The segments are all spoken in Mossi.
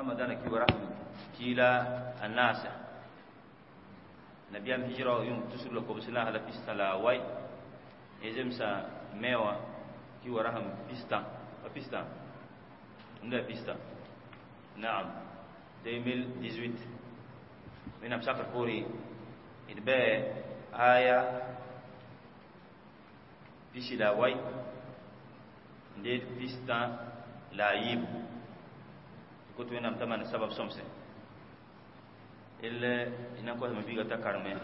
Ramadana ki wara kila anasa nabiyam hijra yum tusur la kobsila hala pista la way ezemsa mewa ki wara ham pista pista nda pista naam 2018 min am sakar pori idbe aya pisi la way nde pista la yib ko to nam tamana sabab somse illa ina ko ma biga ta karme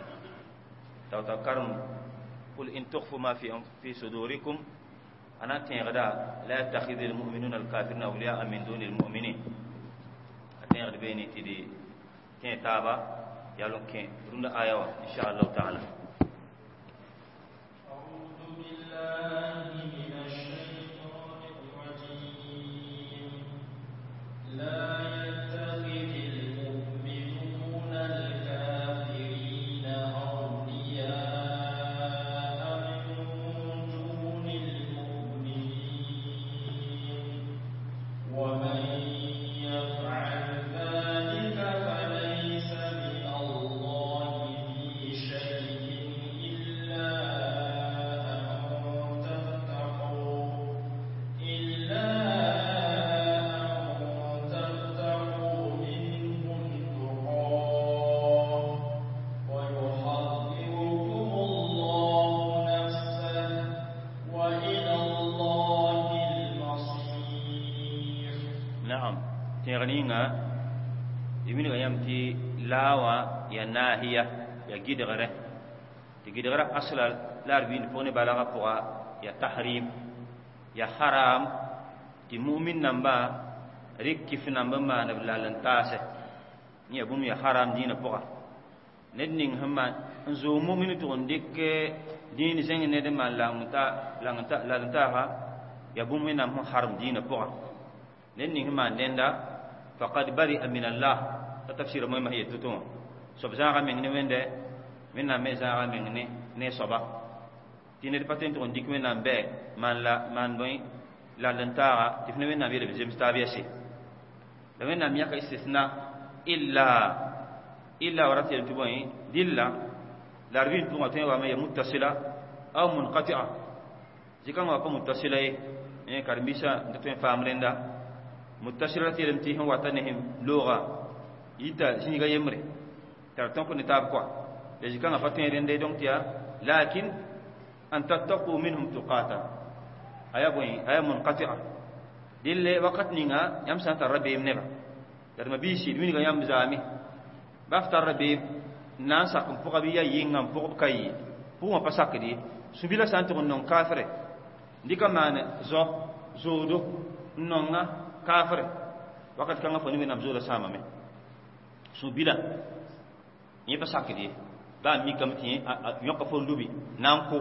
taw ta karm qul in tukhfu ma fi sudurikum ana tẽegda la yattakhidhu almu'minuna alkafirina awliya'a min duni almu'minin a tẽegd beene tɩ d tẽ taaba yalon kẽ rũndã aya wã insha allahu taala. أعوذ بالله من الشيطان الرجيم. لا يتخذ المؤمنون الكافرين أولياء من دون المؤمنين ومن يفعل ذلك فليس من الله في شيء إلا أن تتقوا منهم تقاه ويحذركم الله نفسه وإلى الله المصير. Naam, tẽeg ninga d wilga yãmb tɩ laa wã ya naahiya ya gɩdgre tɩ gɩdgrã asla la d wiind pʋg ne balgã pʋga ya tahrim ya haram tɩ mumin nambã rɩk kɩf namb n maan b lal n taasɛ yẽ ya bũmb ya haram dĩinã pʋga ned ning sẽn maan n zoog mumin tʋg n dɩk dĩin zẽng ned n maan lal n taasa ya bũmb wẽnnaam sẽn harem dĩinã pʋga ned ning sẽn maan dẽnda faqad bari'a min Allah ta tafsira moẽmã sẽn yet to-to wã soab zãaga meng ne wẽnde wẽnnaam me zãaga meng ne soaba tɩ ned pa tõe n tʋg n dɩk wẽnnaam bɛ maan la maan bõe lal n taaga tɩ f ne wẽnnaam yeelb zems taab yɛse la wẽnnaam yãka istisna illa wa rat yel tɩ bõe dɩlla la d vɩɩm pʋgã tõe n wame ya muttasila aw munqati'a zikãngã wa pa muttasila ye karen-biisã n ta tõe n faam rẽnda muttasila rat yeelame tɩ sẽn wata ne sẽn looga yita zĩiga yembre t'a d tõk ne taab kɔa la zikãngã pa tõe rẽnda ye donc tɩ yaa lakin an tattaqu minhum tuqata aya bõe aya munqati'a dille wakat ninga yãmb sã n tar rabeem neba la d mabiisi d wilga yãmb zaame ba f tar rabeem n na n sak n pʋga bɩ yaa yɩnga n pʋgb ka yɩ pʋgẽ pa sakd ye sũ-bilã sã n tʋg n nong kaafre n dɩka maan zao zoodo n nonga kaafre wakat kãngã fo ne wẽnnaam zooda sãamame sũ-bilã yẽ pa sakd ye baa mikame tɩ yõka fo n lubi na n kʋ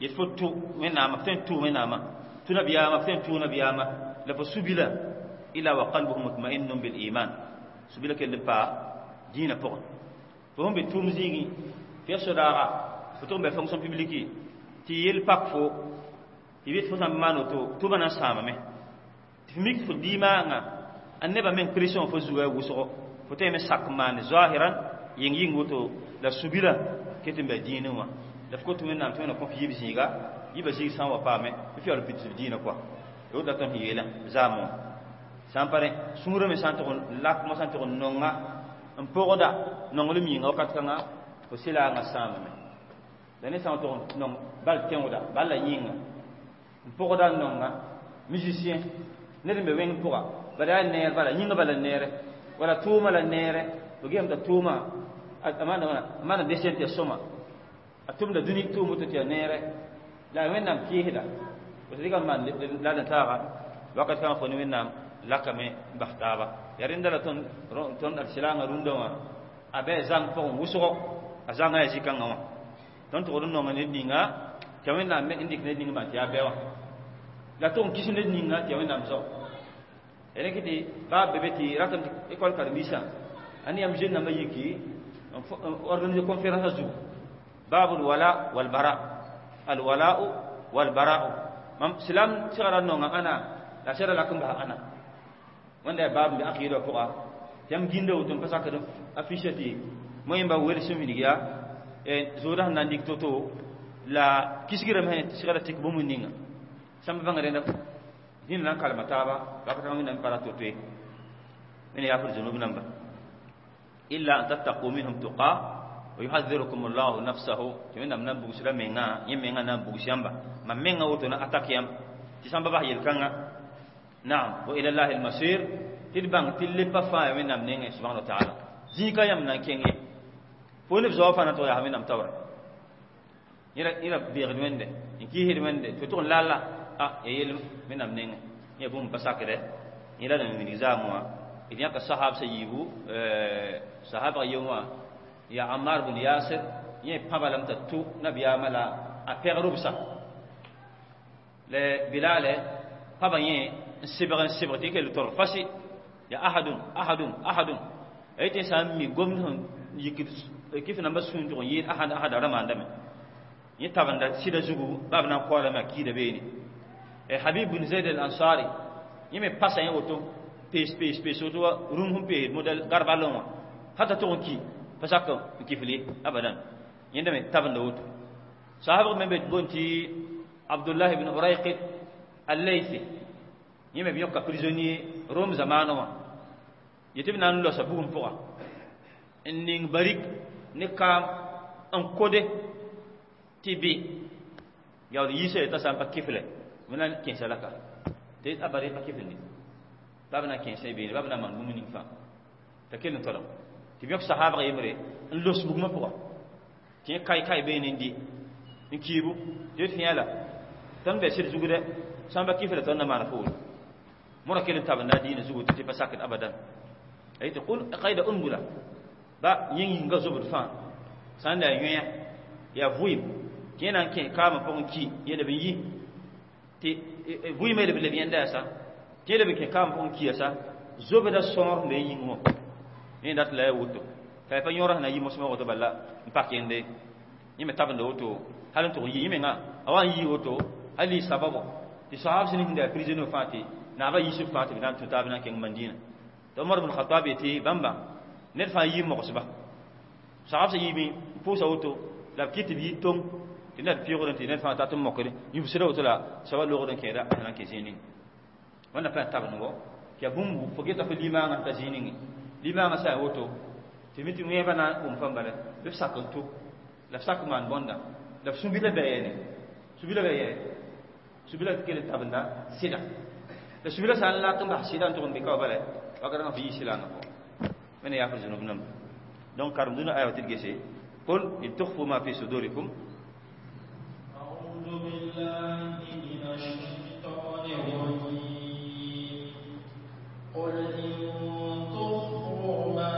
yet fo tʋ wẽnnaamã f tõe n tʋ wẽnnaamã tʋ nabiyaamã f tõe n tʋ nabiyaamã la fo sũ-bilã illa wa qalbuhu mutma'innun bil iman sũ-bilã kell n paa dĩinã pʋgẽ fo sẽn be tʋʋm zĩigẽ fo ya sodaaga fo tʋg n bɛ fonction publique tɩ yel pak fo tɩ bɩ fo sã n maan woto tʋʋmã na n sãamame tɩ f mik fo diimaangã a nebã meng pression fo zuga ya wʋsgo fo tõe me sak n maane zahiran yɩng yɩng woto la sũ-bilã ket n bɛ dĩinẽ wã la f kot wẽnnaam tɩ wẽna kõ f yib zĩiga yibã zĩig sã n wa paame f yaool n pids dĩinã kɔa y woto la tõnd sẽn yeelã zaamẽ wã sã n pa rẽ sũurã me sã n tʋg n lakmã sã n tʋg n nonga n pʋgda nonglem yĩnga wakat kãngã fo sɩlaangã sãamame la ne sã n tʋg n nong bal tẽoda bal la yĩnga n pʋgda n nonga musicien ned n be wẽng pʋga bala yaa neer bala yĩnga bala neere wala tʋʋmã la neere fo gesame t'a tʋʋmã a maana desẽn tɩ ya sõma a tʋmda dũni tʋʋm woto tɩ ya neere la wẽnnaam kɩɩsda fo dɩka n maan lal n taaga wakat kãngã fo ne wẽnnaam lakame n bas taaba ya rẽnda la tõnd d sɩlaangã rũndã wã a bɩ a zãng pʋgẽ wʋsgo a zãngã yaa zĩ-kãngã wã tõnd tʋgd n nonga ned ninga tɩ wẽnnaam me n dɩk ned ning maan tɩ yaa bɛ wã la tʋg n kis ned ninga tɩ ya wẽnnaam zao rẽk tɩ baa be be tɩ ratame tɩ école karen-biisã a ne yãmb jeune nambã yiki organiser conférence a zugu babul wala wal bara al wala'u wal bara'u mam silam segra nonga ana la sera lak n bas ana Wẽnda baab n be aqɩɩdã pʋga tɩ yãmb gĩnda woto n pa sakd affiche tɩ moẽmba welsem wilg yaa zooda sẽn na n dɩk to-to la kisgrame sẽn segda tɩk bũmb ninga sãmb bãng rẽnda zĩnd na n kalma taaba wakat wẽnnaam pa ra to-to ye wẽnd yaafd zunub namba illa an tattaqu minhum tuqa wa yuhadhirukum allahu nafsahu tɩ wẽnnaam na n bugsda menga yẽ menga na n bugs yãmba mam menga woto na atak yãmb tɩ sãmba bas yel-kãnga naam wa ila llahi almasir tɩ d bãng tɩ lepa fãa ya wẽnnaam nengẽ subhana wa taala zĩig ka yãmb na n kẽng ye fo neb zaoã fãa na tʋg yaa wẽnnaam taoora yẽra beegd wẽnde n kiisd wẽnde tɩ tʋg n lalla a ya yel wẽnnaam nengẽ yẽ bũmb pa sakdɛ yẽ la d wilg zaam wã d yãka sahab sa yiibu sahabã ye wã ya Ammar bin Yasir yẽ pãba lame t'a tʋ nabiyaamã la a pɛg rʋbsa la Bilale pãba yẽ n sebg tɩ kell torg fasi ya ahadun ahadun ahadun a yetɩ sã n mi gomd sẽn yikd kɩf nambã sũur tʋg n yɩɩd ahad ahad a ra maandame yẽ tabenda sɩda zugu baa b na n koalame a kiida beene Habib bin Zaid al-Ansari yẽ me pasa yẽ woto pees pees pees woto wa rũm sẽn peesd modɛl garbalẽ wã hata tʋg n ki pa sak n kifl ye abadan yẽnda me tabenda woto sahabg me be boond tɩ Abdullah ibn Urayqit al-Laythi yẽ me b yõka prisonnier Rome zamaanã wã yetɩ b na n losa bugum pʋga n ning barik ne kaam n kode tɩ bɩ yaool yiisa t'a sã n pa kifle b na n kẽesa laka tɩ a bari pa kifl ne baa b na n kẽesa beene baa b na n maan bũmb ning fãa t'a kell n tolem tɩ b yõk sahaabg yembre n los bugmã pʋga tɩ yẽ kai kai beene n dɩ n kiibu tɩ d fẽa la tõnd bɛ sɩd zug dɛ sã n pa kifla tõnd na maana fo woto mora kell n tabenda a diinã zugu tɩ pa sakd abadan a yetɩ qul qaida unbula ba yẽ yĩnga zobd fãa sã n la yaa yõe yaa vʋɩɩm tɩ yẽ na n kẽ kaamã pʋgẽ ki yẽ leb n yi tɩ vʋɩɩmã leb leb yẽnda yaa sa tɩ yẽ leb n kẽ kaamã pʋgẽ ki yaa sa zobda sõor sẽn be yĩng wã yẽ dat la yaa woto t'a yaa pa yõora sẽn na yi mosmã woto bala n pak yẽnde yẽ me tabenda woto hal n tʋg n yi yẽ menga a wa n yi woto hal y sababo tɩ sahab sẽn sẽn yaa prisonnier fãa tɩ naabã yiisb fãa tɩ b na n tũ taab na n kẽng Mandina tɩ Omar bn Khatab yetɩ bãmba ned fãa yii mogsba sahab sẽn yiime n pʋʋsa woto la b kɩt tɩ b yi tong tɩ ned pɩʋgdẽ tɩ ned fãa tat n mokre yubsda woto la soaba logd n kẽeda a sẽn na n kẽ zĩig ning wẽnna pa tabendgo tɩ yaa bũmb fo geta fo limaangã t'a zĩig ninge limaangã sã n woto tɩ mi tɩ wẽebã na n wʋm fãmb bala bɩ b sak n tʋ la b sak n maan bõnda la b sũ-bila bɛ yɛne sũ-bila bɛ yɛ sũ-bila kell n tabenda sɩda la sũ-bila sã n lak n bas sɩda n tʋg n be ka wa bala wakat ãngã fo yɩ sɩlaangã pʋgẽ wẽnna yaafr zunub namba donc karem dũnã aya wa tɩ d gese qul in tukhfu ma fi sudurikum أعوذ بالله من الشيطان الرجيم قل إن تخفوا ما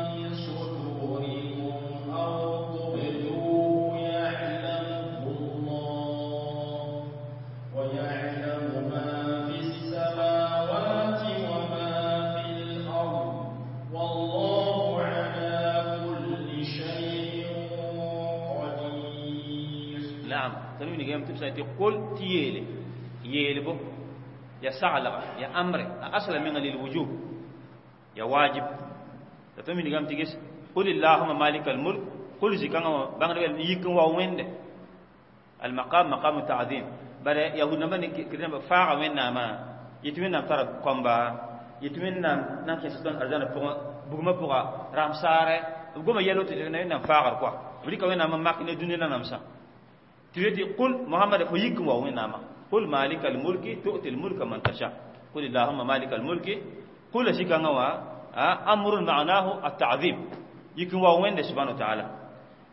في صدوركم أو تبدوه يعلمه الله ويعلم ما في السماوات وما في الأرض والله على كل شيء قدير نعم تنوي نجيم تبسا تقول تيلي يلبو يا سعلغ يا أمر أصلا من للوجوب يا واجب تنوي نجيم تجس قل اللهم مالك الملك قل زكاة بانغ يكن وين المقام مقام التعظيم بل يهود نبني كرنا فاع وين ما يتمنى ترى كومبا يتمنى نانكي ستون أرجانا بوغما بوغا رامسارة بوغما يلو تجينا فاعر كوا بريكا وين ما ماكنة دنيا نامسا تريد قل محمد فيكم وين ما قل مالك الملك تؤتي الملك من تشاء قل اللهم مالك الملك قل شيء أمر معناه التعظيم يكون وين سبحانه وتعالى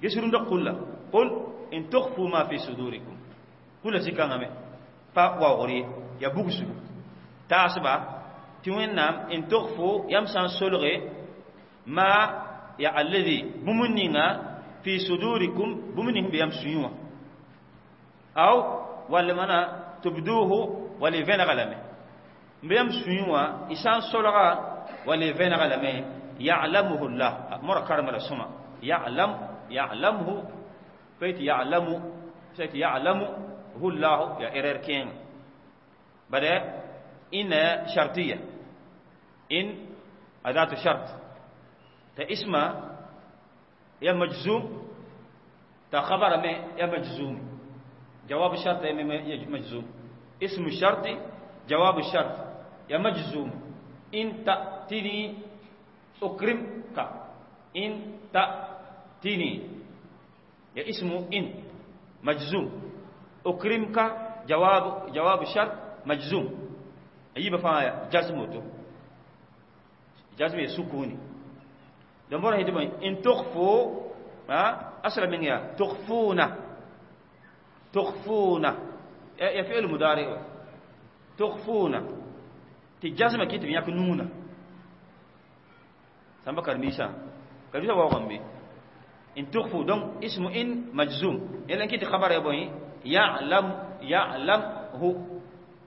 يسرون قل قل إن تخفوا ما في صدوركم قل شيء كان با واغري يا بوغسو تاسبا تيوين إن تخفوا يمسان سلغي ما يا الذي بمنينا في صدوركم بمنهم بيمسيوا أو ولا منا تبدوه ولا فين غلامه بيمسيوا إسان سلغا ولا فين غلامه يعلمه الله مر كرم السما يعلم يعلمه فيت يعلم فيت يعلمه الله يا إرر كين بدأ إن شرطية In adatu shart ta isma ya majzum ta khabara me ya majzum جواب الشرط يا مجزوم اسم الشرط جواب الشرط يا مجزوم إن تأتني أكرمك إن تأتني يا اسم إن مجزوم أكرمك جواب الشرط مجزوم أيبا فا جزمته جزم سكوني دمبر هيدي إن تخفوا ها أصلا من يا تخفون تخفون يا فعل مضارع تخفون تجزم كيت ياك نونا سامبا كرميشا كرميشا واقم بي إن تخفوا دون اسم إن مجزوم إلا كيت خبر يا بوي يعلم يعلم هو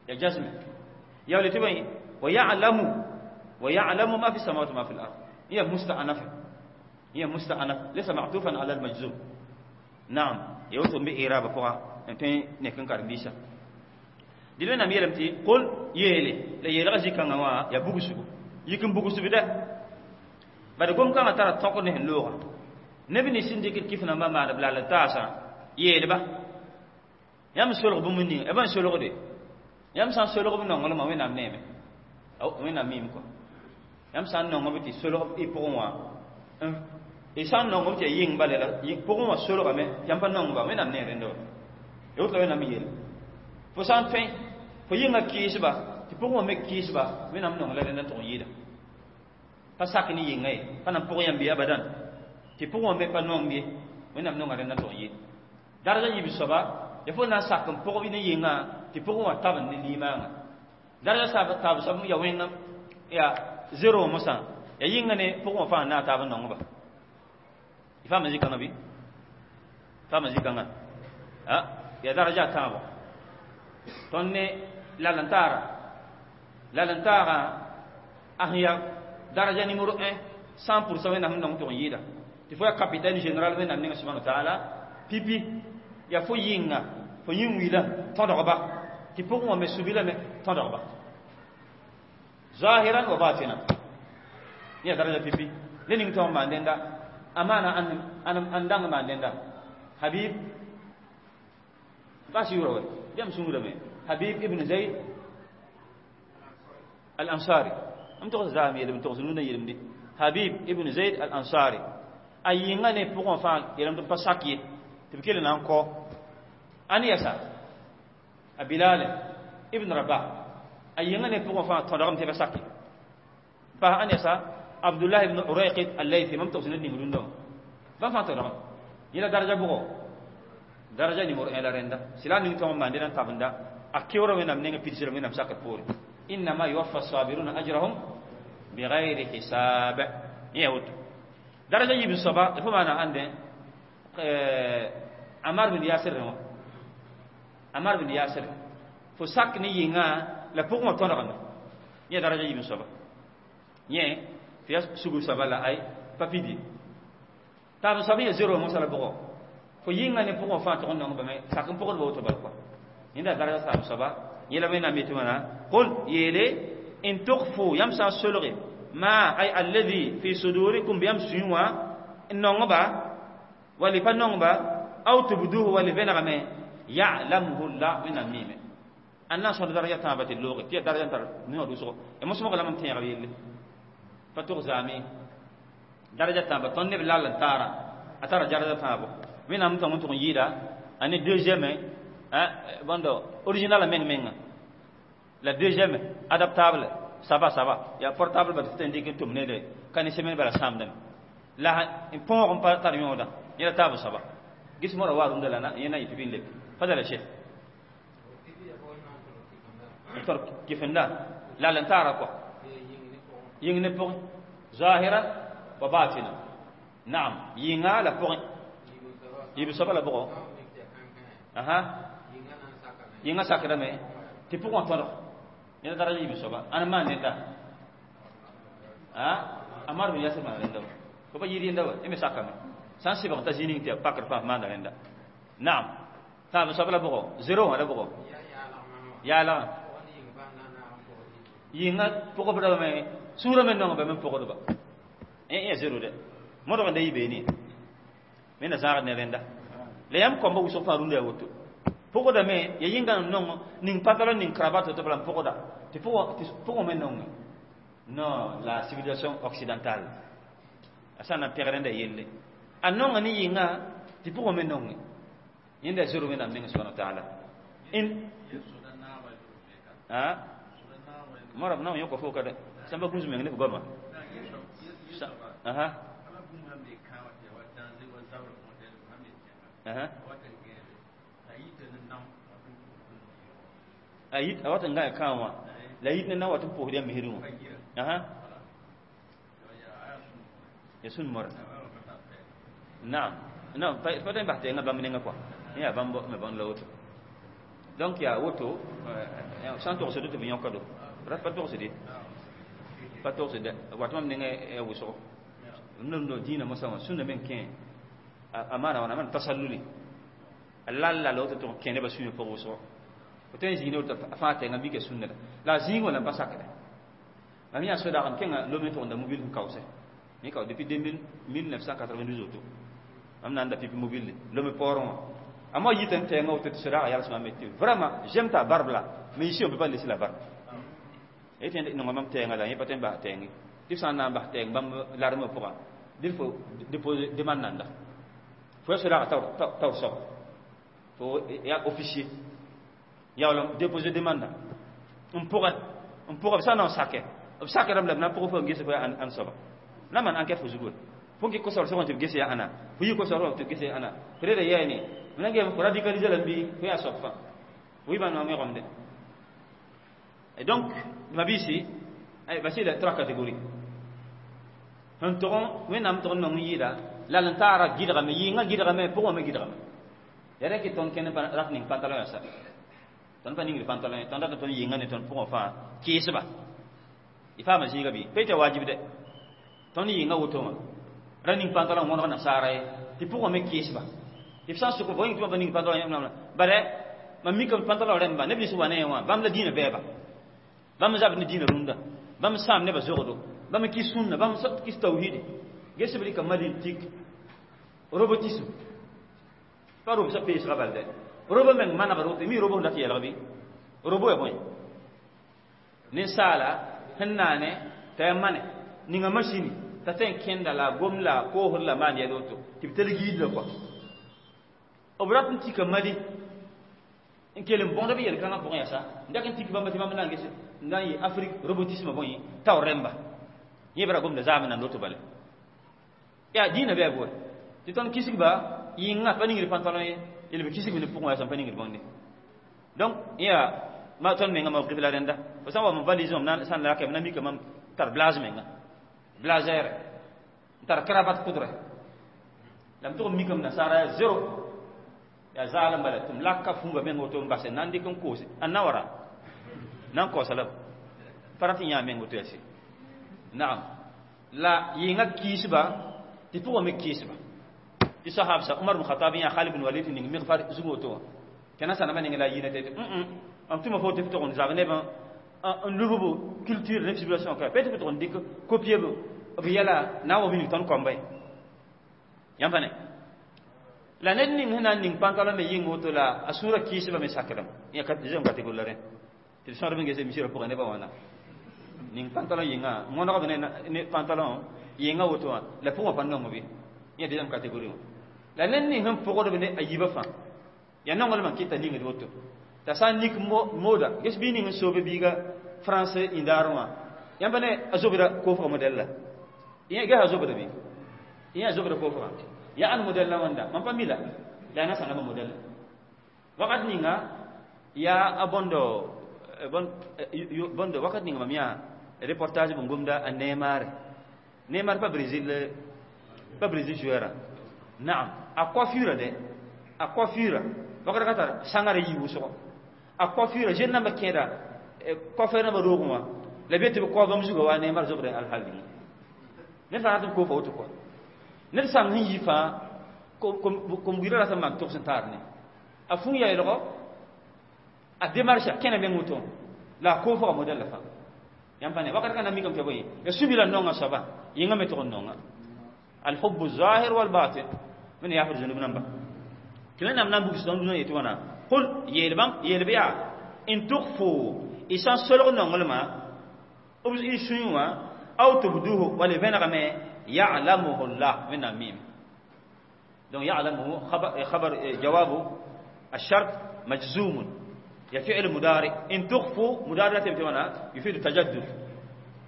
يا جزم يا ولد تبين ويعلم ما في السماوات وما في الأرض هي مستأنفة هي مستأنف ليس معطوفا على المجزوم نعم يوتو بي إعراب فوق أنتين نكن كرميشا دلنا نميرم تي قل يلي لا يلغى زي كان وا يا بوغسو يكن بوغسو بدا بعد قوم كان ترى تقول نه اللغة نبني سندك كيف نما ما بلا لا تاسا يلي با يام سولغ بمني ابان سولغ دي يام سان سولغ بنون ولا ما وين نام نيمه او وين نام ميم كو يام سان نون بتي سولغ اي بوغ وا e san nongum tɩ yɩng bala la pʋgẽ wã solgame tɩ yãmb pa nong ba wẽnnaam ne rẽnda wa ya woto la wẽnnaam yeel fo sã n tõe fo yɩnga kɩɩsba tɩ pʋgẽ wã me kɩɩsba wẽnnaam nong la rẽnda n tʋg n yɩɩda pa sak ne yɩnga ye pa na n pʋg yãmb ye abadan tɩ pʋgẽ wã me pa nong ye wẽnnaam nonga rẽnda n tʋg n yɩɩda daraja yiib soaba ya fo na n sak n pʋg ne yɩnga tɩ pʋgẽ wã tab n ne limaanga daraja taab soab ya wẽngam ya zero mosã ya yɩnga ne pʋgẽ wã fãa n na a taab n nongba فهم زي كان بي فهم زي كان ها يا درجة تابو توني لا لنتارا لا لنتارا أهيا درجة نمرو 1 100% وين هم نون تون يدا تفوي كابيتان جنرال وين نعم سبحانه وتعالى بيبي يا فو يينغا فو يين ويلا تندربا تفوي ما سبيلا مي تندربا ظاهرا وباطنا يا درجة بيبي لين تون ما عندنا amana an an dang ma denda habib basi yuro jam sungura me habib ibn zaid al ansari am to zami yelim to nuna yelim di habib ibn zaid al ansari ayinga ne pour fa yelim to pasaki te kele nan ko ani yasa abilal ibn rabah ayinga ne pour fa to dagam te pasaki fa ani yasa عبد الله بن أريقط الليثي مم توصل لني مدون دوم ما فهمت ولا يلا درجة بقو درجة نمر إلى رندا سلا نيتهم ما عندنا تابندا أكيورا من أمنين بيتزر من أمسك بور إنما يوفى الصابرون أجرهم بغير حساب يهود درجة يبن الصبا فما أنا عندي عمار بن ياسر هو عمار بن ياسر فساك نيجا لبوق ما تونغنا يا درجة يبن الصبا يه في سوغو سبا لا اي papidi taab soab ya zero mo sala bogo fo yĩnga ne pʋgẽ fãa tʋg n nong bame sak n pʋgd ba woto bal kɔa yẽnda daraja saam soaba yẽla wẽnnaam yetɩ wãna qul yeele in tukfu yãmb sã n solge ma ay alladhi fi sudurikum bɩ yãmb sũyẽ wã n nongba wall y pa nongba aw tubduhu wall y vẽnegame ya'lamhu llah wẽnnaam miime ãn na n sõd daraja tãabã tɩ looge tɩ yaa daraja n tar noog dʋsgo ya mosmg la mam tẽegb yelle pa tʋg zaame daraja tãaba tõnd neb lal n taara a tara daraja tãabo wẽnnaam tõng n tʋg n yɩɩda a ne deuxième bõndo original a meng menga la deuxième adaptable ça va ya portable ba tɩ n dɩk n tʋm nede ka ne semaine bala sãamdame la n põog n pa tar yõoda yẽla taab soaba gis mora wa rũndã la yẽ na yɩ tɩ bɩ n leb fadala cheikh tor kifenda lal n taara kɔa yĩng ne pʋgẽ ظاهرا وباطنا نعم ينغا لا بوغ يبي سبا لا بوغ اها ينغا ساكرا مي تي بوغ تور ينا درجه يبي سبا انا ما نيتا ها امر بن ياسر ما نيتا كوبا يري ندا امي ساكا مي سان سيبا تا زينين تي باكر فا ما نيتا نعم تا سبا لا بوغ زيرو لا بوغ يا لا ينغا بوغ بدا مي Sũurã me nong ba me pʋgdba. Ya zero de. Modg n da yɩ beene. Me na zãagd ne rẽnda. La yãmb kõmba wʋsg fãa rũndã yaa woto. Pʋgdame ya yĩnga n nong ning pantalon ning cravate to bala n pʋgda. Tɩ pʋgẽ me nonge. Non, la civilisation occidentale. A sã n na n pẽg rẽnda yelle. A nonga ne yɩnga tɩ pʋgẽ me nonge. Yẽnda zero Wẽnnaam meng subhana wa taala. In a mara na yõka fo ka dɛ sãmba gũus meng ne f goama. Aha. Aha. A yit a wat n gã kãa wã la yit ne na wat n pʋʋsd yã misrẽ wã. Aha. Ya sũn mora. Naam. Non, pa tõe n bas tɩ bãmb ninga kɔa. Yẽ yaa bãmb me bõn la woto. Donc yaa woto sã n togsd tɩ b yõka do. Rat pa togsd ye. Pa togsd wat mam nengẽ ya wʋsgo. N dĩinã mosã wã sũnda meng kẽ a maana wãna a maan tasalluli. A lal lal woto tɩ kẽ nebã sũyã pʋg wʋsgo. Fo tõe n zĩig ne woto a fãa tɛnga mika sũnda la. La a zĩig wã la n pa sakda. Mam yã sodaag n kẽnga Lome tʋgenda mobile n kaoose. Mi kao depuis 1992 woto. Mam na n da pipi mobile Lome paoorẽ wã. A mo yita n tɛnga woto tɩ sodaagã yalsmã me tɩ vraiment j'aime ta barbe là, mais ici on peut pas laisser la barbe. Y tɩ nonga mam tɛɛngã la yẽ pa tõe n bas tɛɛnge. Tɩ f sã n na n bas tɛɛng bãmb larmã pʋgã, dɩ fo déposer demande nanda. Fo ya sodaagã taoor soaba. Fo ya officier. Yaool n déposer demande n pʋgẽ n pʋgã b sã n na n sake b sakrame la b na n pʋg fo n ges fo ya ãn soaba. Na maan enquête fo zugu. Fo n kɩ kosabr sʋgẽ tɩ b ges ya ãna, fo yɩ kosabr tɩ b ges ya ãna. Fo reeda yɛɛ ne, b na n gee fo radicaliser la n bɩ fo yaa soab fãa. Fo yɩ bãmb wẽgomde. Et donc, ma vie voici les trois catégories. Sẽn tʋg Wẽnnaam tʋg n nong n yɩɩda la n taara gɩdgame yɩɩngã gɩdgame pʋgẽ me gɩdgame. Ya rẽ kɩ tõnd kẽnd rat ning pantalon yã sa. Tõnd pa ningd pantalon ye, tõnd rat tõnd yɩɩngã ne tõnd pʋgẽ fãa kɩɩsba. Y faama zĩiga bɩ? Pa yetɩ wajib dɛ. Tõnd yɩɩngã woto wã ra ning pantalon wõneg nasaara ye tɩ pʋgẽ me kɩɩsba. Tɩ f sã n sʋk fo yĩng tɩ pa ning pantalon yã bare mam mikame pantalon rẽmba neb nins wa ne wã bãmb la dĩinã bɛɛba. Bãmb zabd ne dĩinã rũndã. Bãmb sãam nebã zogdo. Bãmb kɩs sũnna, bãmb kɩs tawhidi. Ges b rɩka Mali n tik robotisme. Pa robsã peesga bal dɛ. Robo meng manegd woto, mi robo sẽn dat yɛlg bɩ? Robo ya bõe? Ninsaala sẽn naane t'a yaa mane ninga masini t'a tõe n kẽnda la a gom la a koosd la maan yɛl woto tɩ b telg yid la kɔa. B rat n tika Mali n kell n bõgd b yel-kãngã pʋgẽ yaa sa n dak n tik bãmba tɩ bãmb na n ges n na n yɩ Afrique robotisme bõe taoor rẽmba. Yẽ b ra gomda zaam n na n loto bale. Yaa dĩinã bɩ a bʋɛ tɩ tõnd kisgba yɩnga pa ningd pantalon ye yel b kisg ne pʋgẽ yaa sẽn pa ningd bõnde. Donc yaa ma tõnd menga mawqif la rẽnda. Fo sã n wa m valise wã sã n laka b na mika mam tar blase menga. Blazer n tar cravate kʋdrɛ. La m tʋg n mikame nasaara yaa zero. Yaa zaalem bala tɩ m laka fũuba meng woto n base n na n dɩk n koose. A na wara na n kaoosa la pa rat n yã meng woto yaa sɩ. Naam. La yɩnga kɩɩsba tɩ pʋgã me kɩɩsba. Tɩ sahabsa Umar bin Khattab yã Khalid bin Walid ning migfar zug woto wã. Tɩ na sãnamã ning la a yɩɩna tɩ mam tʋma fo tɩ f tʋg n zab nebã n lub culture ne civilisation ka pe tɩ f tʋg n dɩk copier b yɛla na n wa wilg tõnd koamba ye. Yãmb pa ne? La ned ning sẽn na n ning pantalon me yɩng woto la a sũurã kɩɩsba me sakdame. Yã deuxième catégorie la rẽ. Tɩ d sõdb n ges misrã pʋgẽ nebã wãna. Ning pantalon yɩnga wõnegb ne pantalon yɩnga woto wã la pʋgẽ pa nong bɩ. Yã deuxième catégorie wã. La ned ning sẽn pʋgdb ne a yiibã fãa yaa nonglmã kɩta ningd woto. T'a sã n nik mooda ges bɩ ning n soobe biiga français indaarẽ wã yãmb pa ne a zobda koofga modɛl la. Ges a zobda bɩ? Yẽ a zobda koofgã. Ya ãn modɛl la wãnda mam pa mi la la yaa nasãnamã modɛl. Wakat ninga yaa a bõndo bõndo wakat ninga mam yã reportage bõn gomda a Neymar. Neymar pa Brésil pa Brésil joueur. Naam, a coiffure de a coiffure wakat ka tar sãngara yɩ wʋsgo. A coiffure jeune nambã kẽeda coiffeur nambã roogẽ wã la be tɩ b kao bãmb zugã wa Neymar zobda alhal ninga. Ned fãa rat n koofa woto kɔa. Ned sãng sẽn yi fãa kom-buiidã rat n maan togs n taar ne. A fũu yaoolgo a démarche a kẽna meng woto la a koofga modɛl la fãa. Yãmb pa ne wakat kãna mikame tɩ bõe ya sũ-bilã nonga soaba yĩngã me tʋg n nonga alhubbu zahir walbatin wẽnd yaafd zũnub namba tɩ wẽnnaam na n bugs tõnd dũnã yetɩ wãna qul yeel bãmb yeel bɩ yaa in tukfu y sã n solg nonglmã b y sũyẽ wã aw tubduhu wala y vẽnegame ya'lamuhu llah wẽnnaam miime donc ya'lamuhu khabar jawabu الشرط مجزوم يا فعل مضارع إن تخفوا مضارع تبتونا يفيد التجدد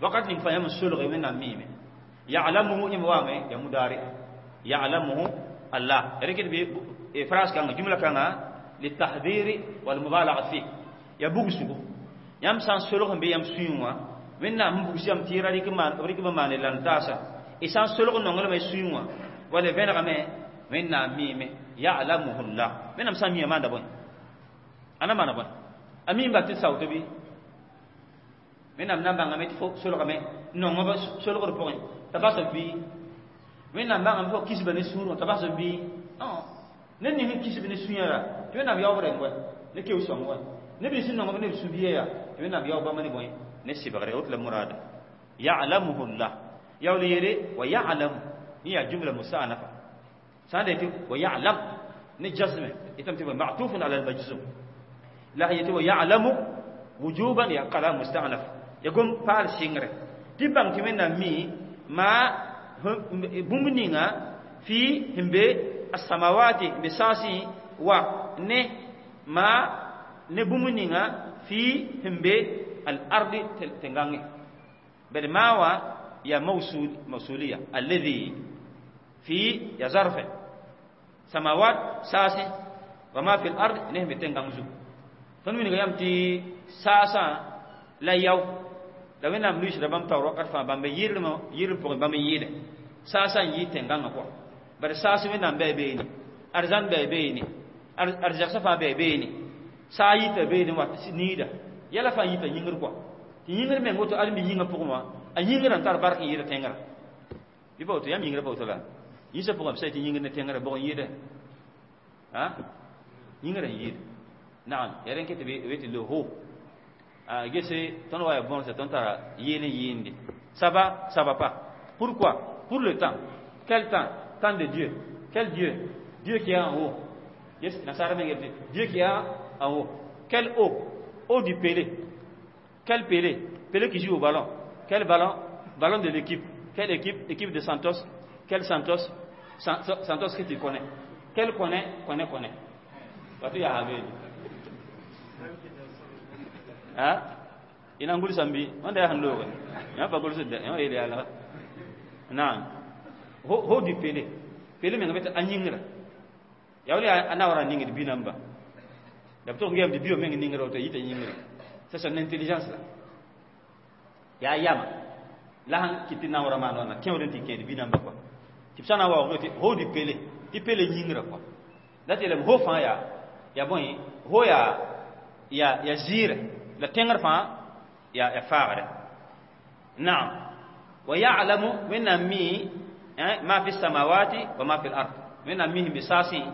وقت نفهم السلغ من الميم يعلمه إموامه يا مضارع يعلمه الله ركض بفراس كان جملة كان للتحذير والمبالغة فيه يا بوغسو يام سان سلغ بي يام سيوا من نام بوغس يام تيرا ريك ما ريك ما لانتاسا إسان سلغ نونغل ما سيوا ولا فين من نام ميم يعلمه الله من نام سامي ما دبون أنا ما نبون أمين باتي ساوتو بي من نام نام بانغامي فوق سلغ نونغ سلغ بوين تباسو بي من نام بانغامي فوق كيس بني سورو تباسو بي ne ni hin kisi bini sunyara ti wẽnnaam yaoog rẽng wɛ ne keoog sõng wɛ ne bɩ sẽn nong ne b sũ-biya yaa tɩ wẽnnaam yaoog bãmb ne bõe ne sɩbgre woto la murada ya'lamuhu llah yaool yeele wa ya'lamu yẽ yaa jumla musta'nafa sã n da yetɩ wa ya'lam ne jasme yetame tɩ ma'tufun ala al-majzum la yetɩ wa ya'lamu wujuban ya kalam musta'naf ya gom paal sɩngre tɩ bãng tɩ wẽnnaam mi ma bũmb ninga fi sẽn be السماوات بساسي و نه ما نبومنيغا في همبي الأرض تنغاني بل ما و يا موصول موصولية الذي في يا ظرف سماوات ساسي وما في الأرض نهم تنغانزو تنوين يامتي ساسا لا يو la wẽnnaam luiisda bãmb taoor wakat fãa bãmb yɩrlmã yɩrl pʋgẽ bãmb n yɩɩde saasã n yɩ tẽngãngã pʋgã bari saas wẽnnaam bɩ beene arzãn bɩ beene arzɛgsã fãa bɩ beene saa yita beene wa niida yɛla fãa yita yĩngr kɔa tɩ yĩngr meng woto ãdem yĩngã pʋgẽ wã a yĩngrã n tar bark n yɩɩda tẽngrã bɩ pa woto yãmb yĩngrã pa woto la yĩnsã pʋgẽ b sã tɩ yĩngr ne tẽngrã bʋg n yɩɩdɛ a yĩngrã n yɩɩda naam yaa rẽn ket tɩ b tɩ le ho a gese tõnd wa ya bõnsa tõnd tara yeel n yɩɩnde ça va, ça va pas. Pourquoi? Pour le temps. Quel temps? Temps de Dieu. Quel Dieu? Dieu qui est en haut. Yes, Dieu qui est en haut. Quel haut? Haut du Pelé. Quel Pelé? Pelé qui joue au ballon. Quel ballon? Ballon de l'équipe. Quelle équipe? Équipe de Santos. Quel Santos? Santos que tu connais. Quel connaît? Connaît, connaît. Watu ya habeli. Ha? Ina ngul sambi, wanda ya handoga. Ya pa gul sudda, ya ile ala. Naam. Ho du Pelé. Pelé menga beta anyingra. Ya wali ana wara ningir bi namba. Da to ngem di bio menga ningra to yita nyingra. C'est son intelligence là. Ya yama. La han kiti na wara ma na kewden ti kedi bi namba quoi. Ti sana wa ho ho du Pelé. Ti Pelé nyingra quoi. La telem ho fa ya ya bon ho ya ya ya zira la tenger fa ya ya faagre. Naam. Wa ya'lamu min mi ما في السماوات وما في الأرض من أمهم بساسي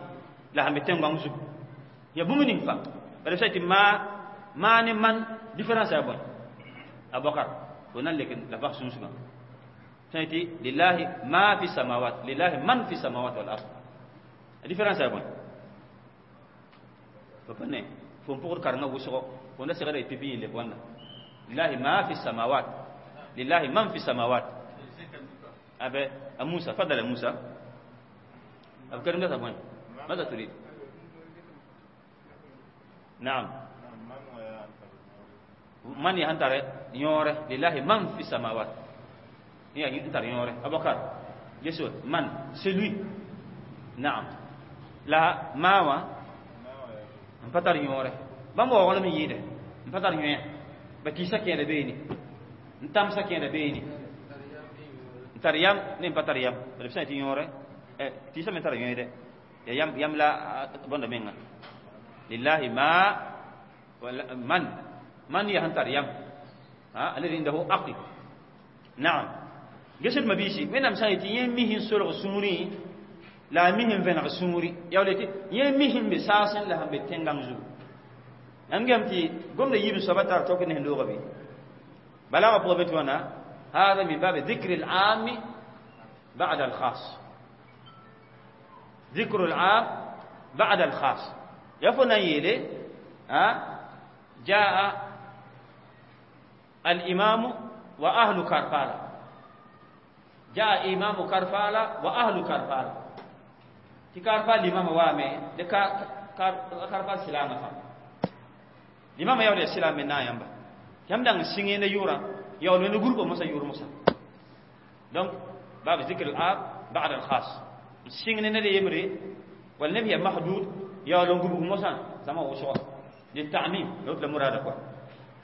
لا هم تنغ زو يا بومنين فا بل سيتي ما ما من différence أبون أبو بكر ونال لكن لا باخ سونسما سيتي لله ما في السماوات لله من في السماوات والأرض différence أبون فبني فون بور كارنا وسو ونda segara pipi le wanda lillahi ma fi samawat lillahi man fi samawat أبي موسى تفضل يا موسى أبو كريم ده وين ماذا تريد نعم من يهنتر يوره لله من في السماوات هي ينتر يوره أبو بكر يسوع من celui نعم لا ما هو mpatar yõore bãmb waoogl me yɩɩde n pa tar yõe ba kɩɩsã kẽeda beene n tãmsã kẽeda beene n tar yam ne n pa tar yam b sã tɩ yõore tɩɩsã me tara yõede ya yam yam la bõnda menga lillahi ma man man ya sẽn tar yam alladhi indahu aql naam gesd mabiisi wẽnnaam sã n yetɩ yẽ mi sẽn solg sũurẽ la a mi sẽn vẽneg sũuri yaa wala tɩ yẽ mi sẽn be saasẽ la sẽn be tẽngãng zugu yãmb gem tɩ gomda yiib soaba tar tok ne sẽn looga bɩ بلاغة بغبتونا هذا من باب ذكر العام بعد الخاص. ذكر العام بعد الخاص. يفنى يلي جاء الإمام وأهل كرفالة. جاء إمام كرفالة وأهل كرفالة. تكرفال الإمام وامي كرفال سلامة فا. الإمام يولي السلام من نايم يم دang singe ne yura yaw ne groupe musa yur musa. Donc باب ذكر العام بعد الخاص. singe ne ne yemre wal nabi mahdud yaw lo groupe musa sama wo so للتعميم لو المراد quoi.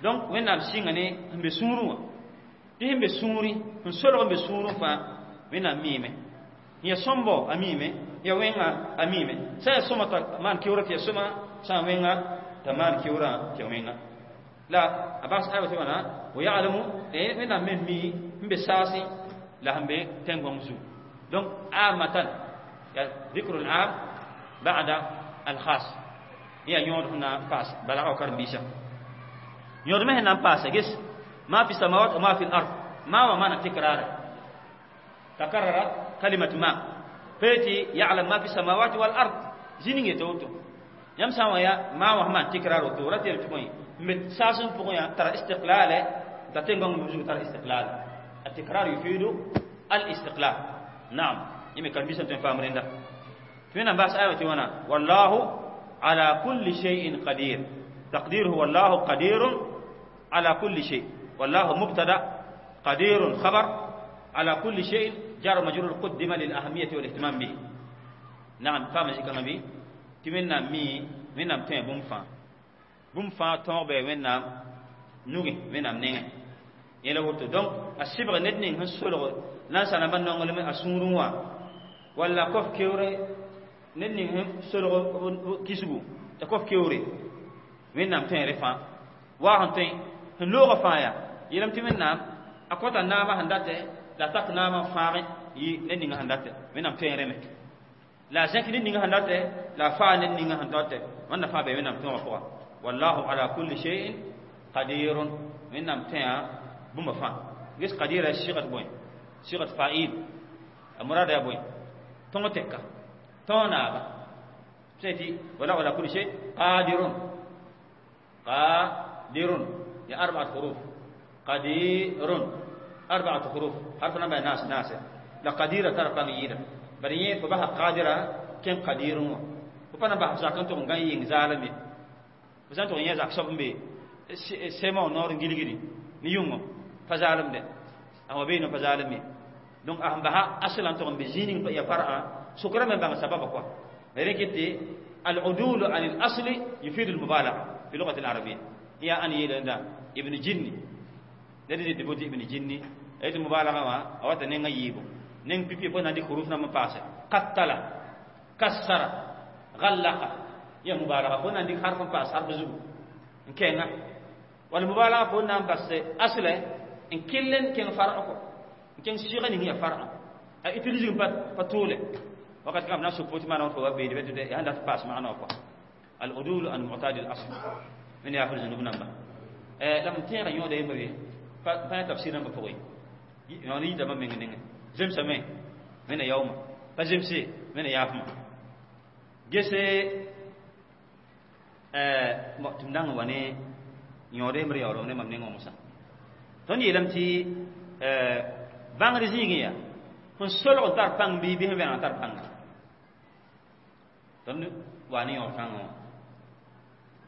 Donc wẽnnaam sɩnga ne sẽn be sũurẽ wã tɩ sẽn be sũuri n solg n be sũurẽ fãa wẽnnaam miime ya sõmbo a miime ya wẽnga a miime sã ya sõma t'a maan keoora tɩ ya sõma sã n wẽnga t'a maan keoorã tɩ ya wẽnga la a bas ayba tɩ wãna wa ya'lamu wẽnnaam me mi n be saasẽ la sẽn be tẽn-gõng zugu. Donc amatan ya dhikrul am ba'da al khas ya yõod sẽn na n paas balga karen-biisã yõod me sẽn na n paasa ges ma fi samawat wa ma fi al-ard ma wa mana tikrara takarrara kalimat ma fati ya'lam ma fi samawati wal ard zini nge to yam sa wa ya ma wa ma tikrar to ratel to moy me sasun pour ya tara istiqlal ta tengong muzu tara istiqlal التكرار يفيد الاستقلال. نعم يمكن كان بيسن تفهم رندا فينا بس آية وانا والله على كل شيء قدير. تقديره والله قدير على كل شيء. والله مبتدا قدير خبر على كل شيء جار مجرور قدم للأهمية والاهتمام به. نعم فهم ذكر النبي تمنا مي منا متين بومفا بومفا توبه منا نوغي منا نين يلا وتو. دونك السبغ ندني هنسولغ ناس أنا من نقول من أسمروا ولا كوف كيوري ندني هنسولغ كيسبو تكوف كيوري منا متين رفا واهنتين هنلوغ فايا يلم تمنا أكوتا ناما هندته لا تك ناما فاري يي ندني هندته منا متين رمي لا زك ندني هندته لا فا ندني هندته من فا بي منا متين رفا والله على كل شيء قدير. منا متين بوم فا جس قدير الشيغة بوين شيغة فاعل المراد يا بوين تونتك تونابا سيتي ولا ولا كل شيء قادر قادر يا أربعة حروف قدير أربعة حروف حرف نبع ناس ناس لا قديرة ترى قميرة بريه فبها قادرة كم قدير وبنا بها ساكن تون غني ينزالمي بس أنتم يزاك سبب سما نور جيلي نيومو فزالم ده أما بينه فزالم دونك أهم بها أصلاً تون بزينين يا فرع سكرة من بان سبب أقوى لكن العدول عن الأصل يفيد المبالغة في اللغة العربية. يا أن يلنا ابن جني الذي تبودي ابن جني أي المبالغة ما أو تنين يجيبه نين بيبي بنا دي حروفنا ما باسه قتل كسر غلق يا مبالغة هنا دي حرف باس حرف زو إن كان والمبالغة هنا بس أصله إن كلن كان فرعه إن كان شيء هي فرع أتلزم بطولة وقد كان نفسه فوت ما نعرفه بيد بيد ده عندها باس معنا أقوى العدول عن معتاد الأصل من يأخذ ذنوبنا ما لما تيجي يوم ده يمري فأنا تفسيرنا بفوي يعني ده ما من عندنا زم سمع من يوم فزم سي من يافم جسّ ما تمدان واني يوم ده يمري أورو نه ما من عندنا توني يلم تي بانغريزينيا هن سولو تار بان بي بي هن تار بان تون واني يوم كانوا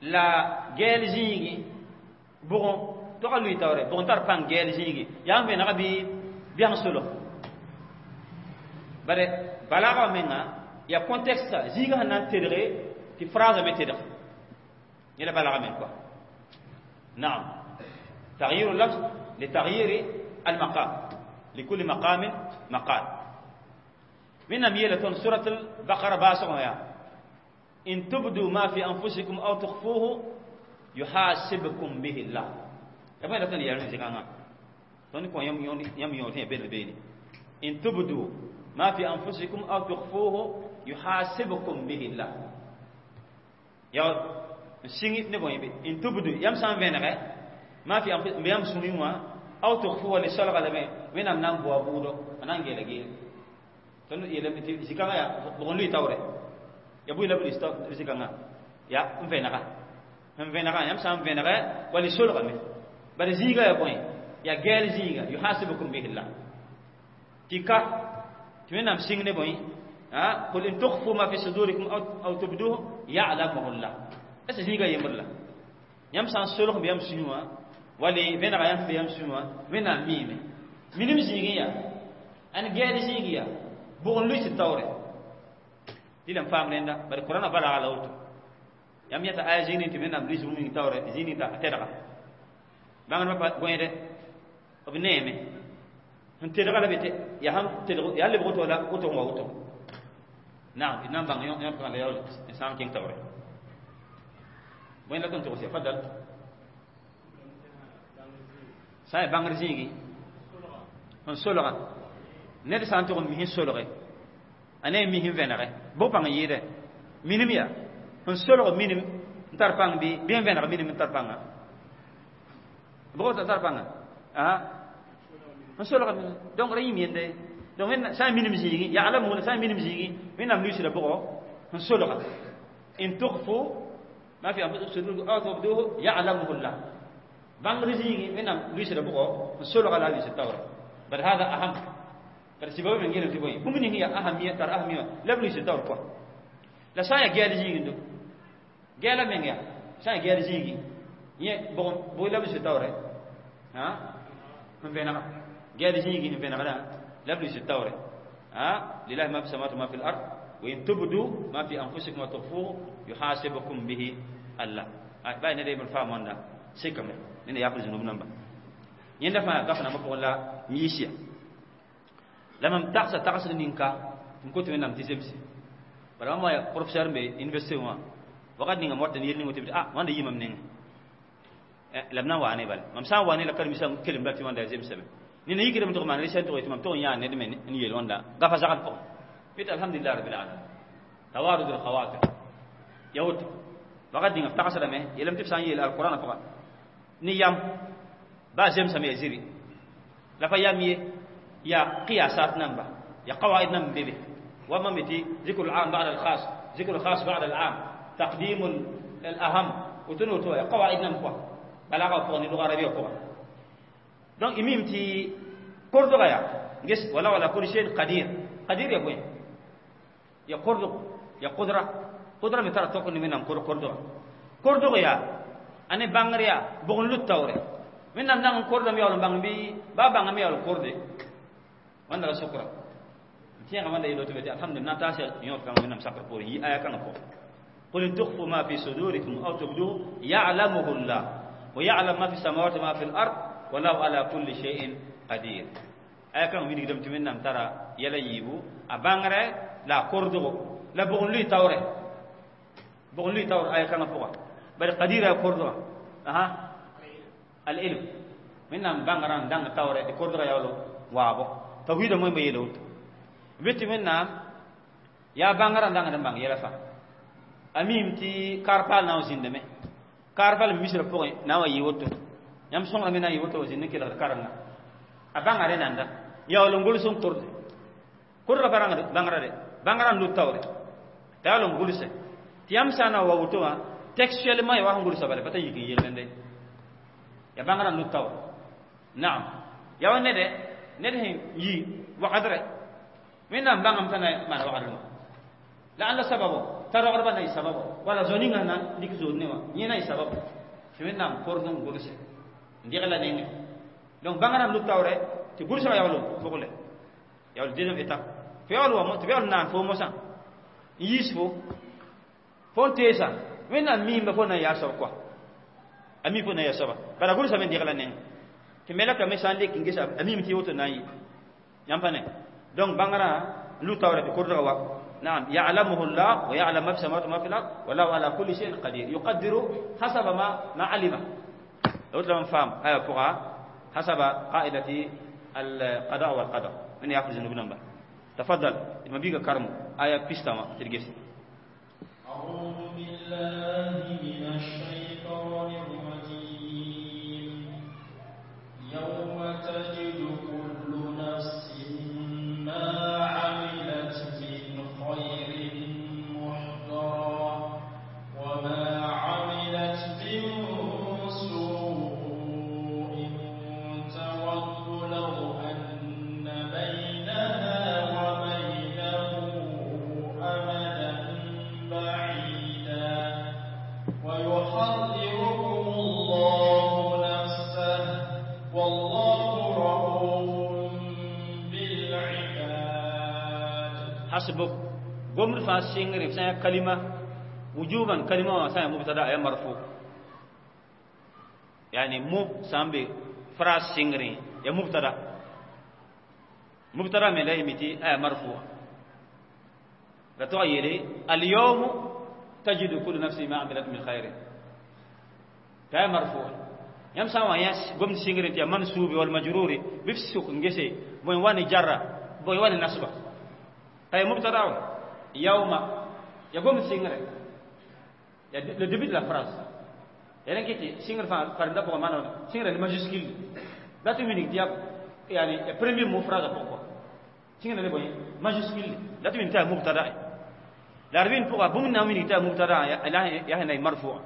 لا gel zĩigi bʋgẽ tog a lʋɩ taoore bʋgẽ tar pãng gɛɛl zĩigi yaa n vẽnega bɩ bɛng solg bare balagã menga ya contexte zĩigã sẽn na n tedge tɩ phrase me tedg yẽla balagã meng kɔa naam تغيير اللفظ لتغيير المقام لكل مقام مقال من أميلة سورة البقرة باسغ يا إن تبدوا ما في أنفسكم أو تخفوه يحاسبكم به الله. كما يقول يا رجل كان توني كون يوم يوم يوم يوم بين بين إن تبدوا ما في أنفسكم أو تخفوه يحاسبكم به الله. يا سيني نبغي إن تبدوا يوم سام بينك ما في أنفسكم يوم سوني ما Aw tukhfuhu li solga lame wẽnnaam na n boa bʋʋdo a na n geela geel tõnd yeelame tɩ zĩ-kãngã yaa bʋg n lʋɩ taoore ya bʋɩ la b lis zĩ-kãngã ya n vẽnega n vẽnegã yãmb sã n vẽnegɛ wall y solgame bala zĩiga yaa bõe ya gɛɛl zĩiga yuhasibukum bihi llah tɩ ka tɩ wẽnnaam sɩng ne bõe قل إن تخفوا ما في صدوركم أو تبدوه يعلمه الله est ce zĩiga yembr la yãmb sã n solg bɩ yãmb sũyẽ wã wall vẽnega yãmb bɩ yãmb sũyẽ wã wẽnnaam miime minim zĩigẽ yaa ãn gɛɛl zĩig yaa bʋg n lʋɩ tɩ taoore tɩ la n faam rẽnda bari korãna balaga la woto yãmb yãta aya zĩig ning tɩ wẽnnaam lʋɩs bũmb ning taoore zĩig ning t'a tɛdga bãngdbã pa gõede b neeme sẽn tedga la be tɩ yaa sãn tedg yaa lebg woto la woto n wa woto naam d na n bãng yãmb la yaool n sã n kẽng taoore bõe la tõnd togs ya fadal sã n yaa bãngr zĩigi n solga ned sã n tʋg n mis n solge a ne mis n vẽnege bʋg pãng n yɩɩdɛ minim yaa n solg minim n tar pãng bɩ bɩ n vẽneg minim n tar pãnga bʋg tar pãnga n solg minim donc ra yĩm yende donc sã n minim zĩigi ya'lamuna sã n minim zĩigi wẽnnaam luisda bʋgɔ n solga in tukhfu ma fi anfusikum aw tubduhu ya'lamuhu llah bãngr zĩigi wẽnnaam luisda bʋgɔ n solga la a luisd taoore bal hada aham bari sɩba me geelem tɩ bõe bũmb ning yaa ahamiya tar ahamiya la b luisd taoor pʋga la sã n yaa gɛɛl zĩigindo gɛɛla meng yaa sã n yaa gɛɛl zĩigi yẽ bʋg la b luisd taoore n vẽnega gɛɛl zĩigi n vẽnegdã la b luisd taoore lillahi ma fi samawati ma fi l ard wa in tubdu ma fi anfusikum wa tukhfuhu yuhasibukum bihi Allah baa ned yembr faam wãnda sekame ned yaafd zũnub namba yẽnda fãa gaf nambã pʋgẽ la miisya la mam tagsa tagsd ninka tɩ m kot wẽnnaam tɩ zemse bala mam wa professeur n be université wã wakat ninga m wat n yel ning tɩ ah wãnda yɩ mam nengẽ la b na n waa ne bala mam sã n wa ne la karen-biisã kelem la tɩ wãnda zemsame nina yikdame tɩg maan rɩsɛn tʋg tɩ mam tʋg n yãa ned me n yeel wãnda gafa zagd pʋgẽ bɩ alhamdulillah rabbil alamin tawarud alkhawatir ya woto wakat ninga f tagsdame yeelame tɩ b sã n yeel alqurãna pʋga ne yam baa zemsame ya ziri la pa yam ye ya qiyasat namba ya qawaid nam bebe wa ma meti ذكر العام بعد الخاص ذكر الخاص بعد العام تقديم الأهم وتنو تو قواعد نم quoi بلاغة فوق اللغة العربية فوق donc imim ti kordo ya nges wala wala kulli shay qadir qadir ya boy ya kordo ya qudra qudra mi tara to ko ni men kordo kordo ya ane bangriya bugun luttawre min nam nang kordo mi yawlo bang bi ba bang mi yawlo korde wanda la sukra tiɲɛ wanda yelo to beti alhamdulillah ta se yo kan min nam sakra pour yi aya kan ko qul in tukhfu ma fi sudurikum aw tubduhu ya'lamuhu Allah wa ya'lam ma fi samawati ma fi al-ard wallahu ala kulli shay'in qadir aya kan wini dam timin nam tara yala yibu a bangre la kordo la bugun lui tawre bugun lui tawre aya kan ko bari qadir ya kordo aha al ilm min nam bangran dang tawre de kordo yawlo wabo tawhid mo be yelo weti min nam ya bangran dang dang bang yela fa amim ti karpal na zindeme karpal misra po na wa yiwoto yam songra me na yiwoto zinde ke la karanga a bangare nanda yawlo ngul son korde kurra baranga bangara de bangara lu tawre tawlo ngulse ti yam sana wa woto wa textuellement ya wa ngulse bale pata yiki yelende ya bangara lu tawre na'am ya wonne de ned sẽn yi wagdrɛ wẽnnaam bãngame t'a na maan wagdrẽ wã la ãnda sababo t'a rogdbã na yɩ sababo wala zo ninga na lik zood ne wã yẽ na yɩ sababo tɩ wẽnnaam kord n gʋlse n degla nengẽ donc bãngrã n taoore tɩ gʋlsgã yaool pʋgle yaool deuxième étape fo yaool wa tɩ yaool naan fo mosã n yiis fo fo n teesa wẽnnaam miimba fo na n yaa soab kɔa a mi fo na n yaa soaba bala gʋlsame n degla nengẽ tɩ melaka me sã n lek n gesa a miime tɩ woto na n yɩ yãmb pa ne donc bãngrã lu taoore tɩ kordga wa نعم يعلمه الله ويعلم ما في السماوات وما في الارض والله على كل شيء قدير يقدر حسب ما علم لو لم فهم آية فقها حسب قاعدة القضاء والقدر من يأخذ ذنوب نمبر تفضل ما بيجا كرم آية بيستما ترجس أعوذ بالله من الشيطان الرجيم يوم سوء تود لو أن بينها وبينه أمدا بعيدا ويحذركم الله نفسه والله رؤوف بالعباد. حسبك قمر فاسينغري سان كلمة وجوبا كلمة سان مبتدا يا مرفوع يعني مو سامبي فراس سينغري يا مبتدا مبتدا من لا يمتي اي مرفوع لا تغيري اليوم تجد كل نفس ما عملت من خير كاي مرفوع يم سان ياس قم سينغري يا منصوب والمجرور بفسق نجسي بوين واني جرة بوين واني نصبه أي مبتدا يوم يقوم سينغري le début de la phrase يعني كيتي سينغر فارندا بوغ مانا سينغر majuscule لا تمينيك تياب يعني premier mot phrase pourquoi سينغر le boy majuscule لا تمين تا مبتدا لاربين بوغ بوم نامين تا مبتدا يا هنا مرفوع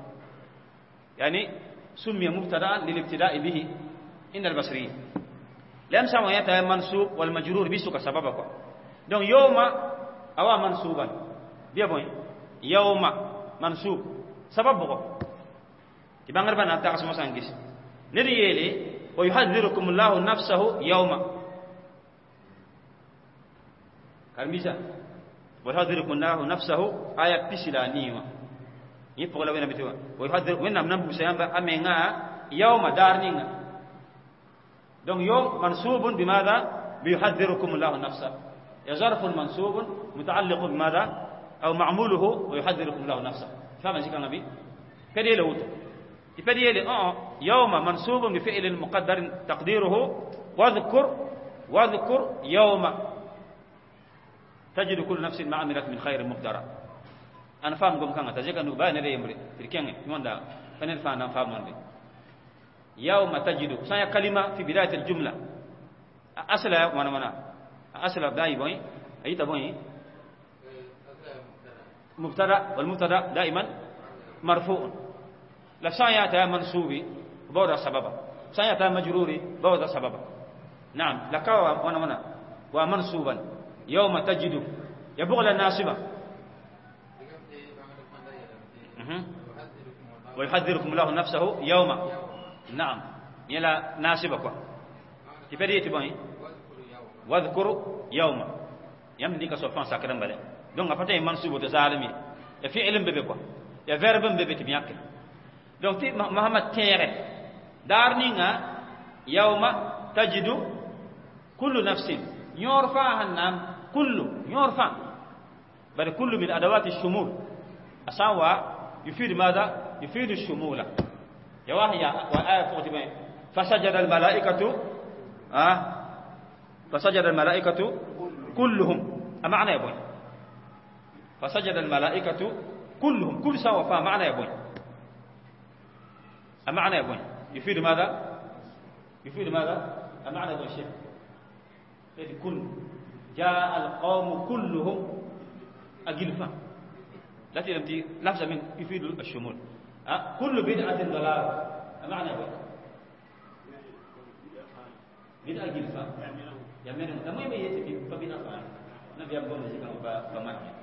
يعني سمي مبتدا للابتداء به إن البصريين لم سمع يتا منصوب والمجرور بيسوك سببك donc يوم أو منصوبا بيا بوي يوم منصوب سبب بوغ تبانغر بنا تاقس مسانجس ندي ويحذركم الله نفسه يوم كرميسا ويحذركم الله نفسه آية بسلا نيوة يبقى لو وين بتوا ويحذر وين نم نبو سيامبا أمينا يوم دارنينا donc يوم منصوب بماذا؟ بيحذركم الله نفسه يا ظرف منصوب متعلق بماذا؟ أو معموله ويحذركم الله نفسه فاهم ذكر النبي؟ كده لوتو يبدي يوم منصوب بفعل مقدر تقديره واذكر يوم تجد كل نفس ما عملت من خير مقدرة. أنا فاهم قوم كان تجيك أنه باين لي يمري تركين يموندا فنن فاهم أنا فاهم من يوم تجد سايا كلمة في بداية الجملة أصلا وانا أصلا داي بوي أي تبوي مبتدأ والمبتدأ دائما مرفوع لا سايا منصوبي بودا سببا سايا مجروري بودا سببا نعم لكوا وانا ومنصوبا يوم تجد يبغل الناصبة ويحذركم الله نفسه يوم نعم يلا ناصبة كوا تبدي تبغي واذكر يوم يمديك سوفان ساكرم بله donc apata mansubo to zalimi ya fi'lin bebe quoi ya verbe bebe tibiyake donc ti Muhammad tere darninga yawma tajidu kullu nafsin yorfa hannam kullu yorfa bal kullu min adawati ash-shumul asawa يفيد ماذا؟ يفيد الشمول يا وهي وآية فوتي فسجد الملائكة فسجد الملائكة كلهم أمعنى يا بوي فسجد الملائكة كلهم كل سوا فمعنى يا بوي أمعنى يا بوي يفيد ماذا؟ يفيد ماذا؟ أمعنى يا بوي شيخ كل جاء القوم كلهم أجلفا لا تلمتي لفظ من يفيد الشمول كل بدعة ضلال أمعنى يا بوي بدعة جلفا يمين لما يبي فبدعة نبي أبغى نزيد بمعنى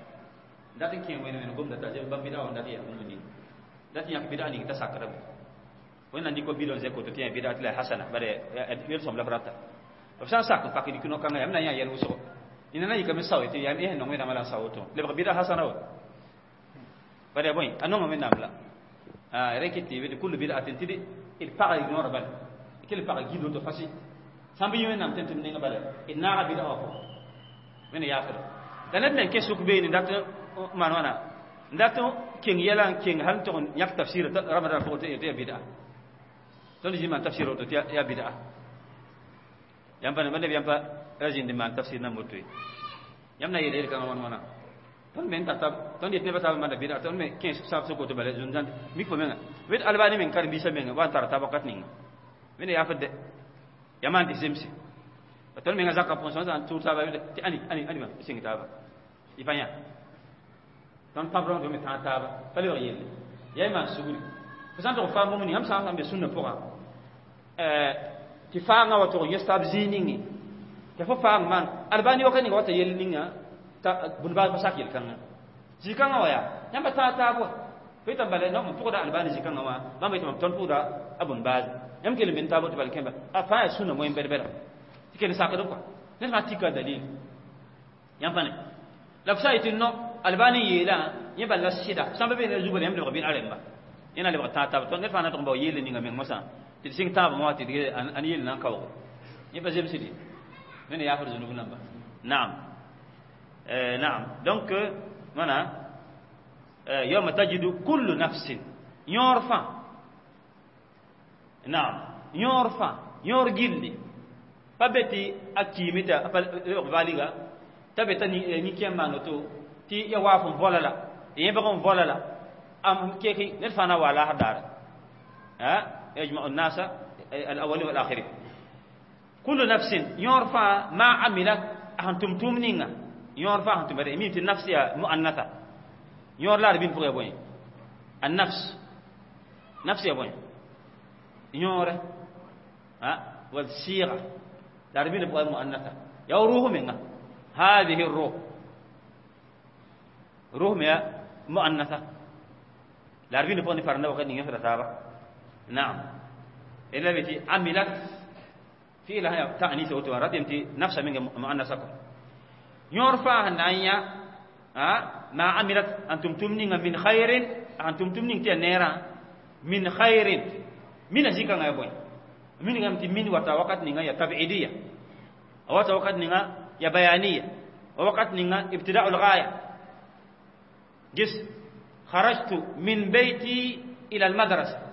datin kin wena wena gomda ta je bam bid'a wanda ya mun ni datin yak bid'a ni ta sakra wena ndi ko bidon zeko to tiya bid'a la hasana bare yel som la frata fa sak fa ki kino kan ya mna ya yel uso ina na yikame sawo ti ya eh no wena mala sawo to le bid'a hasana wa bare boy anon men namla ah rekiti be kullu bid'atin tidi il para ignore bal kil para gido to fasi sambi ywen nam tentum ninga bale inna bid'a ko wena ya fara dan men ke suk be ni dat man wana ndato king yela king hal to yak tafsir ramadan fo te ya bid'a ton ji man tafsir to ya bid'a yam pa ne yam pa rajin de man tafsir na moto yam na yele kan wana wana ton men ta ton dit ne ba man bid'a ton me king sa so ko to bale zun zan mi ko menga wet albani men kar bi sa menga wan tar tabakat ninga mene ya fadde yaman di simsi ton menga zakka pon son tu ta ba ti ani ani ani ma sing ta ba ifanya ton pabron do mi ta ta ba fali wa yelle yay man suguri Sãn tʋg faam bũmb ning yãmb sã n be sũnna pʋgã tɩ faangã wa tʋg n yẽs taab zĩig ninge tɩ fo faang maan albani wakat ninga wata yell ninga t'a bũn-baas pa sak yel-kãngã zĩ-kãngã wa yaa yãmba tãag taab wa fo yetame bala n pʋgda albani zĩ-kãngã wã bãmb yetame tõnd pʋgda a bũn-baas yãmb kell n be n taab tɩ bala kẽmba a fãa yaa sũnna moyen bɛd-bɛda tɩ kell n sakd kɔa ned fãa tika dalil yãmb pa ne la f sã n yetɩ no albani n yeelã yẽ bal la sɩda sã n pa be ne zu bala yãmb lebg bɩ a rẽmba yẽ na lebg tãag taab tõnd ned fãa na tʋg n bao yeel ninga meng mosã tɩ d sɩng tãabã wã tɩ d ãn yeel na n kaoogo yẽ pa zemsd ye wẽnna yaafd zũnub namba naam naam donc wãna yawma tajidu kullu nafsin yõor fãa naam yõor fãa yõor gilli pa be tɩ a kiime t'a pa lebg valiga t'a be t'a nin-kẽem maan woto tɩ ya waaf n vola la yẽbg n vola la am keki ned fãa na wa laasr daare يجمع الناس الأولين والآخرين كل نفس يعرف ما عملت أنتم تمنين يعرف أنتم بدأ مين النفس يا مؤنثة يعرف لا ربين فوق يا بوين النفس نفس يا بوين يعرف ها والصيغة لا ربين فوق مؤنثة يا روح منها هذه الروح روح يا مؤنثة لا ربين فوق نفرنا وقت نيجي نعم إلا بتي عملت في لها تأنيث وتوارد يمتي نفس من مؤنثة يرفع النية ما عملت أنتم تمنين من خير أنتم تمنين تنيرا من خير من أزيك يا بوي من يمتي من وتوقت نيجا يا تبعيدية وتوقت نيجا يا بيانية ووقت نيجا ابتداء الغاية جس خرجت من بيتي إلى المدرسة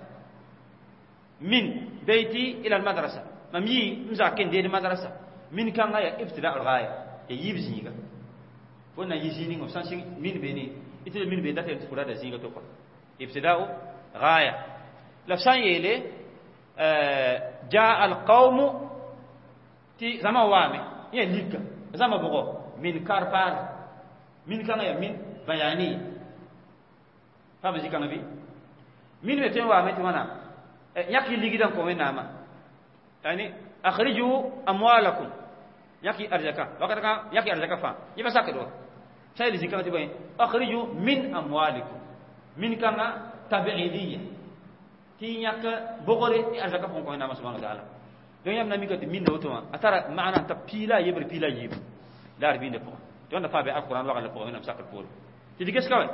من بيتي إلى المدرسة ممي مزاكين دي المدرسة من كان غاية ابتداء الغاية يجيب زينيغا فونا يزينيغا سانسين من بيني إتل من بيدات يتفرد زينيغا توقع ابتداء غاية لفسان يلي جاء القوم تي زما وامي يليك زما بغو من كاربار من كان غاية من بياني فهم زيكا نبي من بيتين وامي تمانا yãk y ligdã n kõ Wẽnnaamã yani akhriju amwalakum yãk y arzaka wakat kã yãk y arzaka fãa yẽ pa sakd wa sã yel zĩ-kãngã tɩ bõe akhriju min amwalikum min kãngã tabiidiya tɩ yãk bogre y arzaka pʋgẽ kõ Wẽnnaamã subhana wa taala donc yãmb na mika tɩ minna woto wã a tara maana t'a piila a yebr piila a yiibu la d bĩndã pʋgẽ tɩ wãnda fãa be alquran wagl la pʋgẽ Wẽnnaam sakr poore tɩ d ges ka wɛ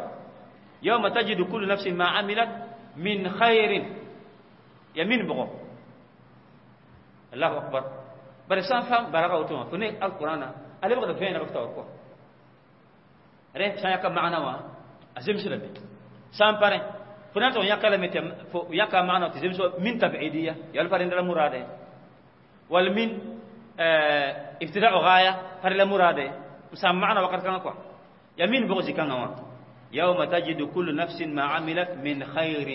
yawma tajidu kullu nafsin ma amilat min khairin يمين بغو الله أكبر برسان فهم برغة وتوما فني القرآن ألي بغض فين بكتة وركوا رين سان يكا معنا وا أزم سلمي سان بارين فنان تو يكا لم يتم يكا معنا تزم سو من تبعيدية يالفرين دل مرادة والمن ابتداء غاية فرلا مرادة سان معنا وقت كان كوا يمين بغو زكان وا يوم تجد كل نفس ما عملت من خير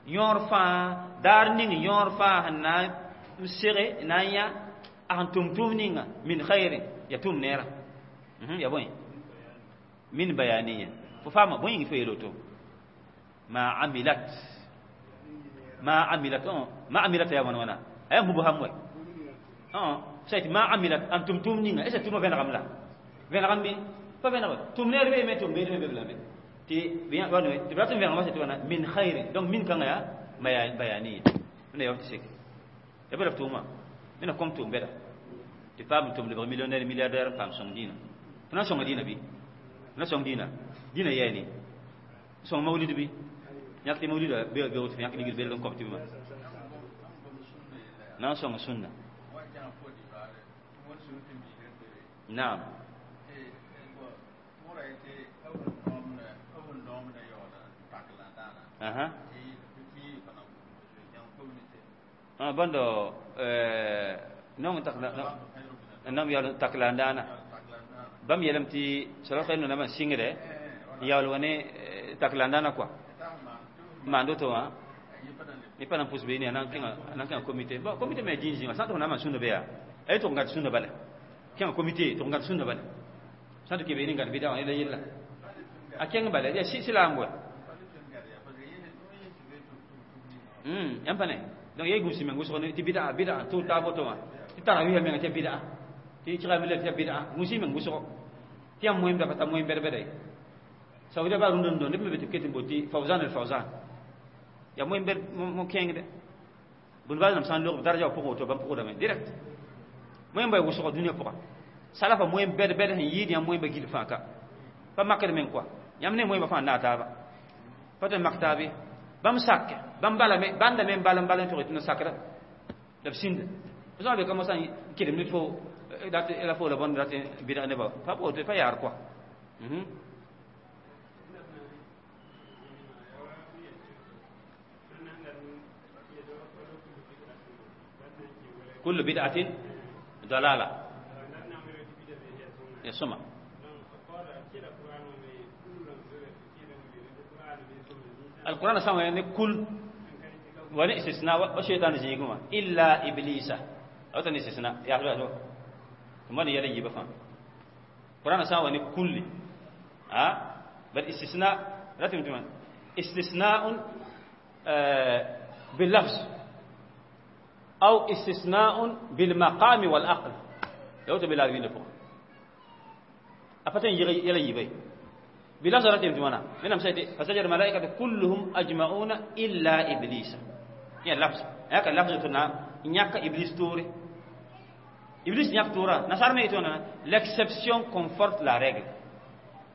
yõor fãa daar ning yõor fãa sẽn na n sege na n yã a sẽn tʋm tʋʋm ninga min khairin ya tʋm neerã ya bõe min bayaniya fo faama bõe yĩng fo yeel woto ma amilat ma amilat ya wãn wãna a yaa mubham wɛ sã yetɩ ma amilat an tʋm tʋʋm ninga est ce tʋʋmã vẽnegame la vẽnegame bɩ pa vẽneg tʋm neer beeme tʋm beed me be lame tɩ rat n vẽnegma sã tɩ wãna min khairin donc min kãngã yaa bayaniya wẽnna yaool tɩ seke ya bala f tʋʋmã wẽnna kõm tʋʋm bɛda tɩ paam n tʋm lebg millionnaire milliardaire n paam sõng dĩinã fo na n sõnga dĩinã bɩ fo na sõng dĩinã dĩinã yɛɛne sõng mawlid bɩ yãk tɩ mawlida be woto yãk ligd belg n kõp tɩ bɩ na n sõng sũnna naam aha ah bando non takla nam yal takla ndana bam yelam ti sala khayno na man singre yal wone takla ndana quoi mando to ha ni pa nan pus be ni anan kinga comité bon comité me jinji ma santo na man sunna be ya ay to ngat sunna bala kinga comité to ngat sunna bala santo ke be ni ngat bida on ila yella a kenga bala ya si silambo. Yãmb pa ne donc ya gũus meng wʋsg tɩ bɩda bɩda tʋ taab woto wã tɩ tarawɩsã menga tɩ bɩda tɩ kɩgame tɩ bɩda gũus meng wʋsgo tɩ yãmb moẽmda pa ta moẽm bɛd-bɛda ye saudiya baa rũndã dõ neb me be tɩ b ket n bot tɩ fawzan el fawzan ya moẽm bɛd mo kẽengde bũn baa nam sã n log daraja wã pʋgẽ woto bãmb pʋgdame direct moẽm ba wʋsgo dũniyã pʋga salafa moẽm bɛd-bɛd sẽn yɩɩd yãmb moẽmba gill fãa ka pa makd meng kɔa yãmb ne moẽmba fãa n naag taaba pa tõe n mak taab ye bãmb sak bãmb balame bãnda me n bal n bal n tog tɩ na sakra la b sĩnda fo sã n be ka mosã n kelem ned fo dat la fo la bõnd rat bɩdg nebã pa woto pa yaar kɔa. كل بدعة ضلالة يا سمع القرآن سمع يعني كل ولا استثناء وشيطان زيغما إلا إبليس أو تني استثناء يا أخي ثم يلي يبفهم القرآن سمع يعني كل ها بل استثناء رتم تمام استثناء باللفظ أو استثناء بالمقام والعقل لو تبي لا فوق أفتن يلي يبي بلفظ رتم تمام من أمسيت فسجد الملائكة كلهم أجمعون إلا إبليس يعني لفظ هيك اللفظ تنا نياك إبليس توري إبليس نياك تورا نصار ما يتونا l'exception conforte la règle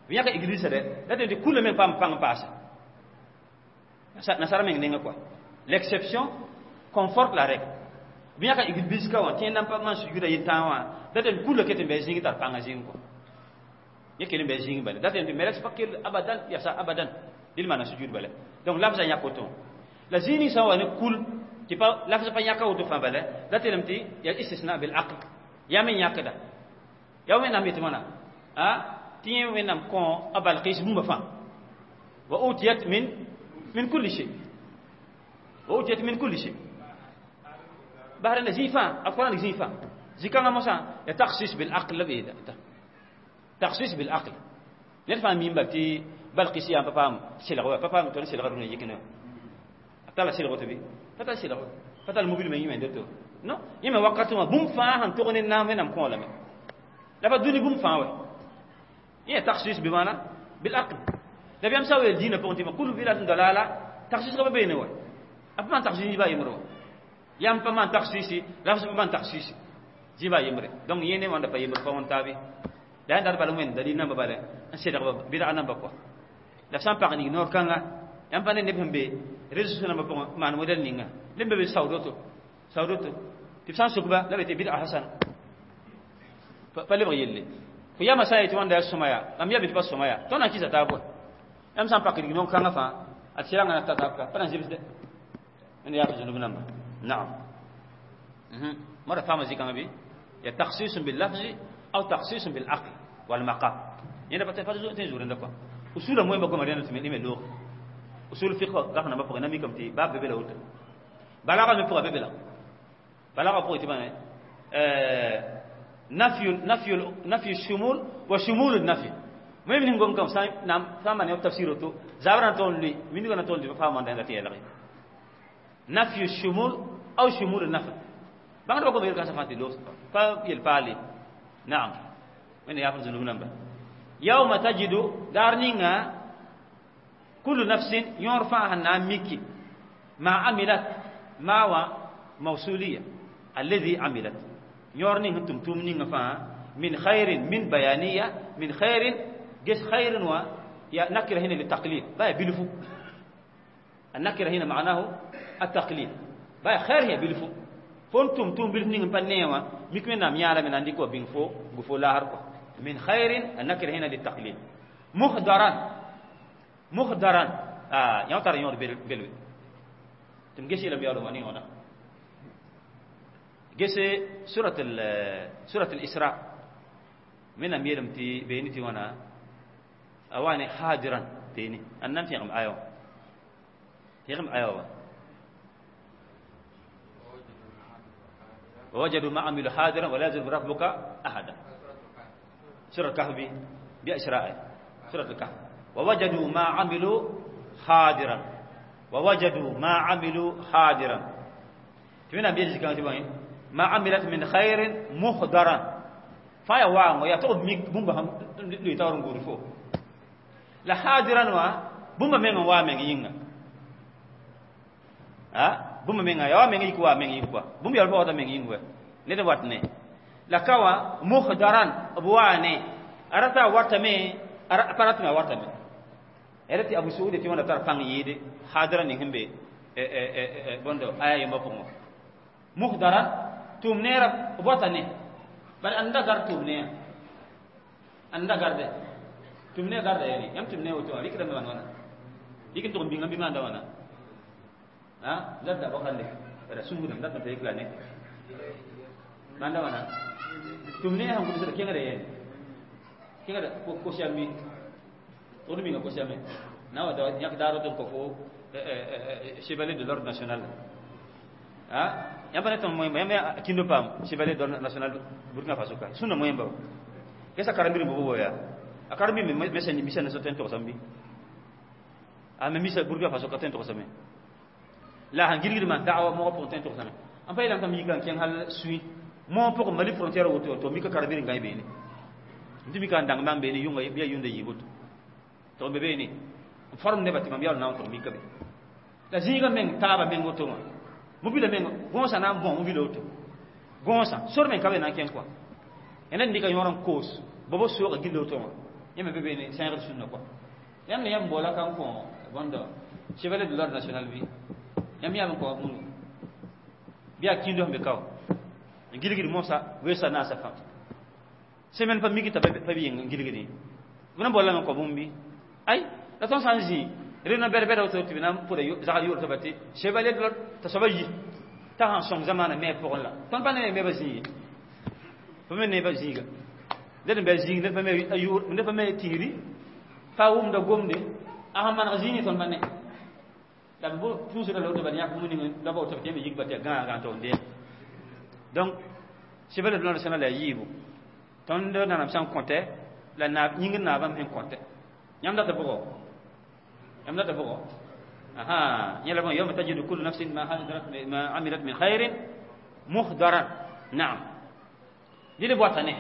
نياك إبليس ده لا تنتي كل من بام بام باس نصار ما ينعك quoi l'exception conforte la règle bien ka iblis ka wa tẽnd n pa man sujuda yetã wã dat n kulla ket n bɩ zĩig tar pãngã zĩng kɔ yẽ kell n bɩ zĩng bala dat n tɩ melek pa kell abadan yasa abadan dɩl maana sujud bala donc lafzã yãk woto la zĩig ning sã n wa ne kul tɩ pa lafz pa yãka woto fãa bala dat yeelame tɩ ya istisna bil aql yaa me yãkda yaa wẽnnaam yetɩ wãna a tɩ yẽ wẽnnaam kõ a balkis bũmba fãa wa utiyat min kulli shay wa utiyat min kulli shay بحر زيفا القرآن زيفا زيكا موسى تخصيص بالعقل لبيدا تخصيص بالعقل نرفع مين بتي بلقيس يا بابا سيلغوا بابا توني سيلغوا روني يكنا أتلا سيلغوا تبي فتا سيلغوا فتا الموبيل ما يمين دتو نو يما وقت ما بوم فا هن تغني نام نام كون لما لا بدوني بوم فا وي هي تخصيص بمعنى بالعقل نبي أمساوي الدين بونتي ما كل بلا دلالة تخصيص كما بينه وي أفهم تخصيص با يمرو yam pa man taksisi lafz pa man taksisi ziba yembre donc yene wanda pa yembre pa won tabi la ndar bala wen dalil namba bala an sedg ba bid'a namba quoi la sam par ni nor kanga yam pa ne ne pembe réseaux sociaux namba pa man modèle ninga lembe be saudoto saudoto tɩ b sã n suk-ba la be tɩ bid'a hasana pa lebg yelle fo yama sã n yetɩ wãnda yaa sõma yaa mam ya be tɩ pa sõma yaa tõnd na n kɩsa taab wa yãmb sã n pak rignoog kãngã fãa a tɩ sɩrangã na ta taab ka pa na n zebsdɛ wẽnd yaa zũnub namba. نعم. مرة فهم زي كما بي يا تخصيص باللفظ أو تخصيص بالعقل والمقام. يعني بتفرزوا تنزور عندكم. أصول مهم بقول مرينا تملي من لغة. أصول الفقه رحنا ما بقينا ميكم تي باب ببلا وتر. بلاغة من فوق ببلا. بلاغة فوق تبان نفي الشمول وشمول النفي. ما يمكن نقوم كم سام نعم فهم أنا تفسيره تو زابرنا تقول لي مين يقول تقول لي فهم أنا تيجي لقي. نفي الشمول أو شمول النفي. بعد ما بقول كذا فانتي لوس فيلفالي. نعم. من يأخذ ذنوب نبى. يوم تجد دارنينا كل نفس يرفعها ناميكي ما عملت ما هو موصولية الذي عملت يورنين تم تمنين فا من خير من بيانية من خير جس خير و يا نكرة هنا للتقليل باي بلفو النكرة هنا معناه التقليل باي خير هي بلفو فنتم تم بلفنين بنيوا مكمن نام يعلم من عندك وبينفو غفو لا هرقو من خير النكرة هنا للتقليل مخدرا مخدرا يوتر يور بلوي تمجيش إلى بيارو واني هنا جس سورة الإسراء من أميرم تي بينتي وانا أواني حاضرا بيني أنم تيغم آيو تيغم آيو ووجدوا ما عملوا حاضرا ولا يظلم ربك أحدا. سورة الكهف بإسراء سورة الكهف ووجدوا ما عملوا حاضرا ووجدوا ما عملوا حاضرا. تمنا بيجي كان تبين ما عملت من خير مخدرا فيا وان يا تو بومبا هم لي تاورن غورفو لا حاضرا وا بومبا men wa men yinga ha bũmb menga ya wa meng yik wa meng yik wa bũmb yaa wa meng yĩng wa ned wat ne la ka wã muhdaran b waane a rata a watame a pa ratame a watame a tɩ abu suud tɩ wãnda tar pãng yɩɩde hadra ning sẽn be bõndo aya yembã pʋgẽ wã muhdaran tʋʋm neerã b wata ne bari ãnda gar tʋʋm neã ãnda garde tʋʋm ne garda yɛne yãmb tʋʋm ne woto wã rɩkdame maan wãna rɩk n tʋg n bĩnga bɩ maanda wãna ha zadda bakande bara sungudam dat ta yekla ne manda wana tumne han ko kengere yen kengere ko ko siami to mi ko siami na wa da yak daro to ko fo chevalier de l'ordre national ha yamba ne ton moy yamba kindo pam chevalier de l'ordre national Burkina Faso ka sunna moy ba kesa karambiri bobo ya akarbi me mesen misen so ten to sambi a me misa Burkina Faso ka ten to sambi la han girgir man da'awa mo ko ten to sambi an fay lan kam yikan ken hal sui mo poko mali frontière woto to mika karambiri ngai be ni ndimi kan dang man be ni yunga biya yunda yibuto to be be ni forme ne bati mam yal na to mika be la zinga men taba men woto ma mobile men gonsa na bon mobile woto gonsa sor men kabe na ken quoi enen ndika yoran kos bobo so ga gillo to ma yeme be be ni saint sunna quoi yam ne yam bola kan ko bondo chevalier de l'ordre national bi yam yam ko munu biya kindo be kaw gilgil mosa wesa na sa fa semaine pa migi ta pa bi gilgili buna bola men ko bumbi ay la ton sanji rena berber auto tibina pour zagal yor tabati chevalier de l'ordre ta soba yi ta han song zamana me pour la ton pa ne me ba zi pa me ne ba ziga den be zig ne pa me ayur ne pa me tiri fa wum da gomde a han man zini ton pa ne la bo tout la l'autre ba yak muni la bo to me yig ba te ga ga to nde donc chevalier de l'ordre national la yibu ton de nanam san compter la na nying na bam hen compter yam da ta bogo yam da ta bogo aha yala bon yawma tajidu kullu nafsin ma hadarat ma amilat min khairin muhdaran na'am dile watane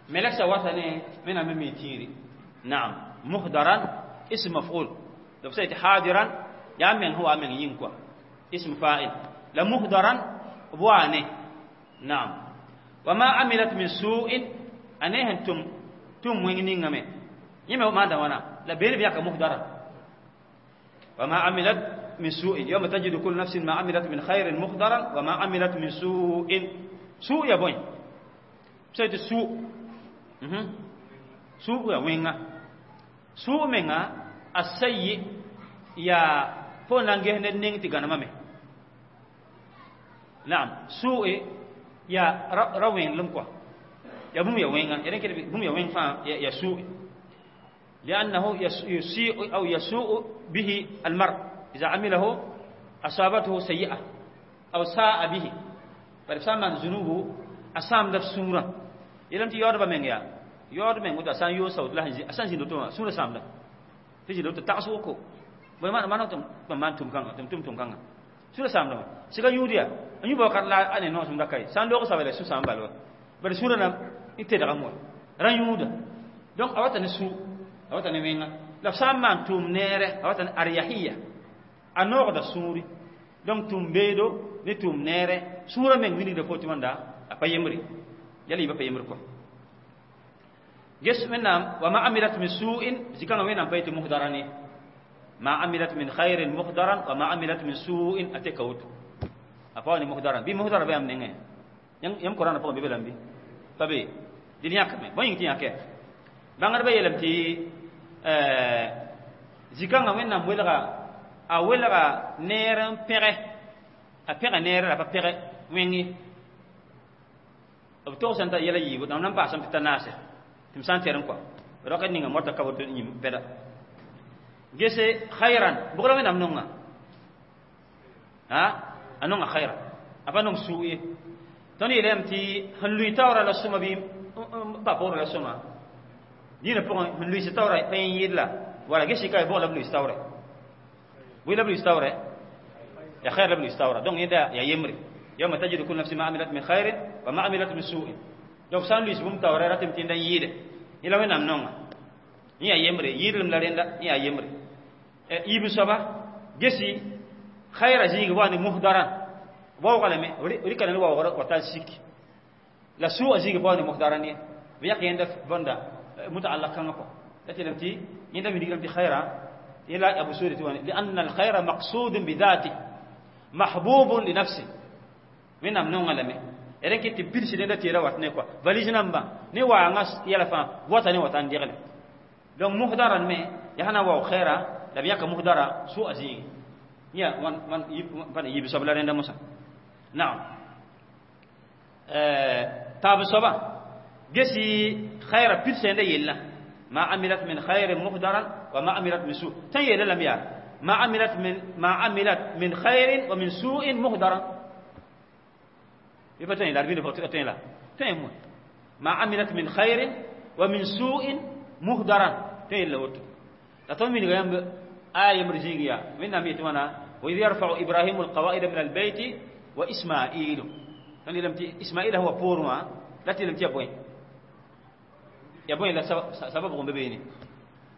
melek sa watane mena me tiri na'am muhdaran ism maf'ul لو سيت حاضرا يا من هو من ينكوا اسم فاعل لا مهدرا بوانه نعم وما عملت من سوء أنه تم تم وينين me يما ما دوانا لا بير بياك مهدرا وما عملت من سوء يوم تجد كل نفس ما عملت من خير مهدرا وما عملت من سوء سوء يا بوين سيد سوء سوء يا وينغا سوء منغا السيء يا فون لانجه نين تيغانا مامي نعم سوء يا روين لمكوا يا بوم يا وينغا يعني كده بوم يا وين فا يا سوء لأنه يسيء أو يسوء به المرء إذا عمله أصابته سيئة أو ساء به بل ذنوبه أسام دف سورة إلى أنت يورب من يا يورب من ودا سان يوسف لا أسان زين سورة سام ده تيجي لو تتعسوكو بما ما نتم ما نتم كان تم تم تم كان سورة سام ده سيكا يوديا أن يبغى كلا أنا نوع سمدا كاي سان لوكو سابله سو سام بالو بل سورة نام إنت دعمو ران يودا donc awata ne su awata ne wenga la sã n maan tʋʋm neere a wata ne aryahiya a noogda sũuri donc tʋʋm beedo ne tʋʋm neere sũurã meng wilgda fo tɩ wãnda a pa yembre yala yɩ pa yembre kɔ ges wẽnnaam wa ma amilat min su'in zikãngã wẽnnaam pa yetɩ muhdaran ye ma amilat min khairin muhdaran wa ma amilat min su'in a teka woto a pa wa ne muhdaran bɩ muhdara ba yãmb nengẽ yãmb korãna pʋgẽ bɩ be lambi pa be dɩd yãkame bõe yĩng tɩ yãke bãngdbã yeelame tɩ zikãngã wẽnnaam welga a welga neer n pẽge a pẽga neer la pa pẽge wẽng ye b togsã t'a yɛla yiibu dãmb nan paasame tɩ ta naase tɩ m sã n tɛr n kɔa roka ninga mota ka woto yĩm pɛda gese khairan bʋg la wẽnnaam nonga a nonga khairan a pa nong suu ye tõnd yeelame tɩ sẽn lʋɩ taoora la sõma bɩ n pa poorẽ la sõma dĩinã pʋgẽ sẽn lʋɩs taoora pa yẽ yɩɩd la wala ges ka bʋg la b lʋɩs taoore Bõe la b luis taoorɛ? Ya xɛɛr la b luis taoora. Donc yẽnda ya yembre, yawma tajidu kullu nafsin ma amilat min khairin wa ma amilat min su'in. Donc sã n luis bũmb taoorɛ, ratame tɩ yẽnda n yɩɩde yẽ la Wẽnnaam nonga. Yẽ yaa yembre, yɩɩdlem la rẽnda, yẽ yaa yembre. Yiib soaba, gesi xayrã zĩig wa ne muhdaran, waooga lame, rɩka ne waoogr wa tar sik la suuga zĩig bao ne muhdaran ye b yãk yẽnda bõnda mutaallaq kãngã kɔ la tɩ lame tɩ yẽnda wilgrame tɩ xayrã yẽla abu suudi tɩ wãne لأن الخير مقصود بذاته محبوب لنفسه. Wẽnnaam nonga lame d ket tɩ pids rẽnda tɩ ra wat ne kɔa valise nambã ne waangã yɛla fãa wata ne wata n degle. Donc muhdaran me yaa sã na n waoog xɛɛra la b yãka muhdara sʋa zĩigi yã wan yiib soab la rẽnda mosã. Naam, taab soaba, gesi xɛɛra pids rẽnda yella ما عملت من خير مهدرا وما عملت من سوء. تنيل لم يا ما عملت من خير ومن سوء مهدرا يبقى تنيل العربية تنيل تنيل ما عملت من خير ومن سوء مهدرا تنيل لوت لا تؤمن غيام آية مرزيقيا من نميت وانا وإذ يرفع إبراهيم القواعد من البيت وإسماعيل. تنيل لم إسماعيل هو بورما لا تلم تيبوين ya bõe la sabab gom be beene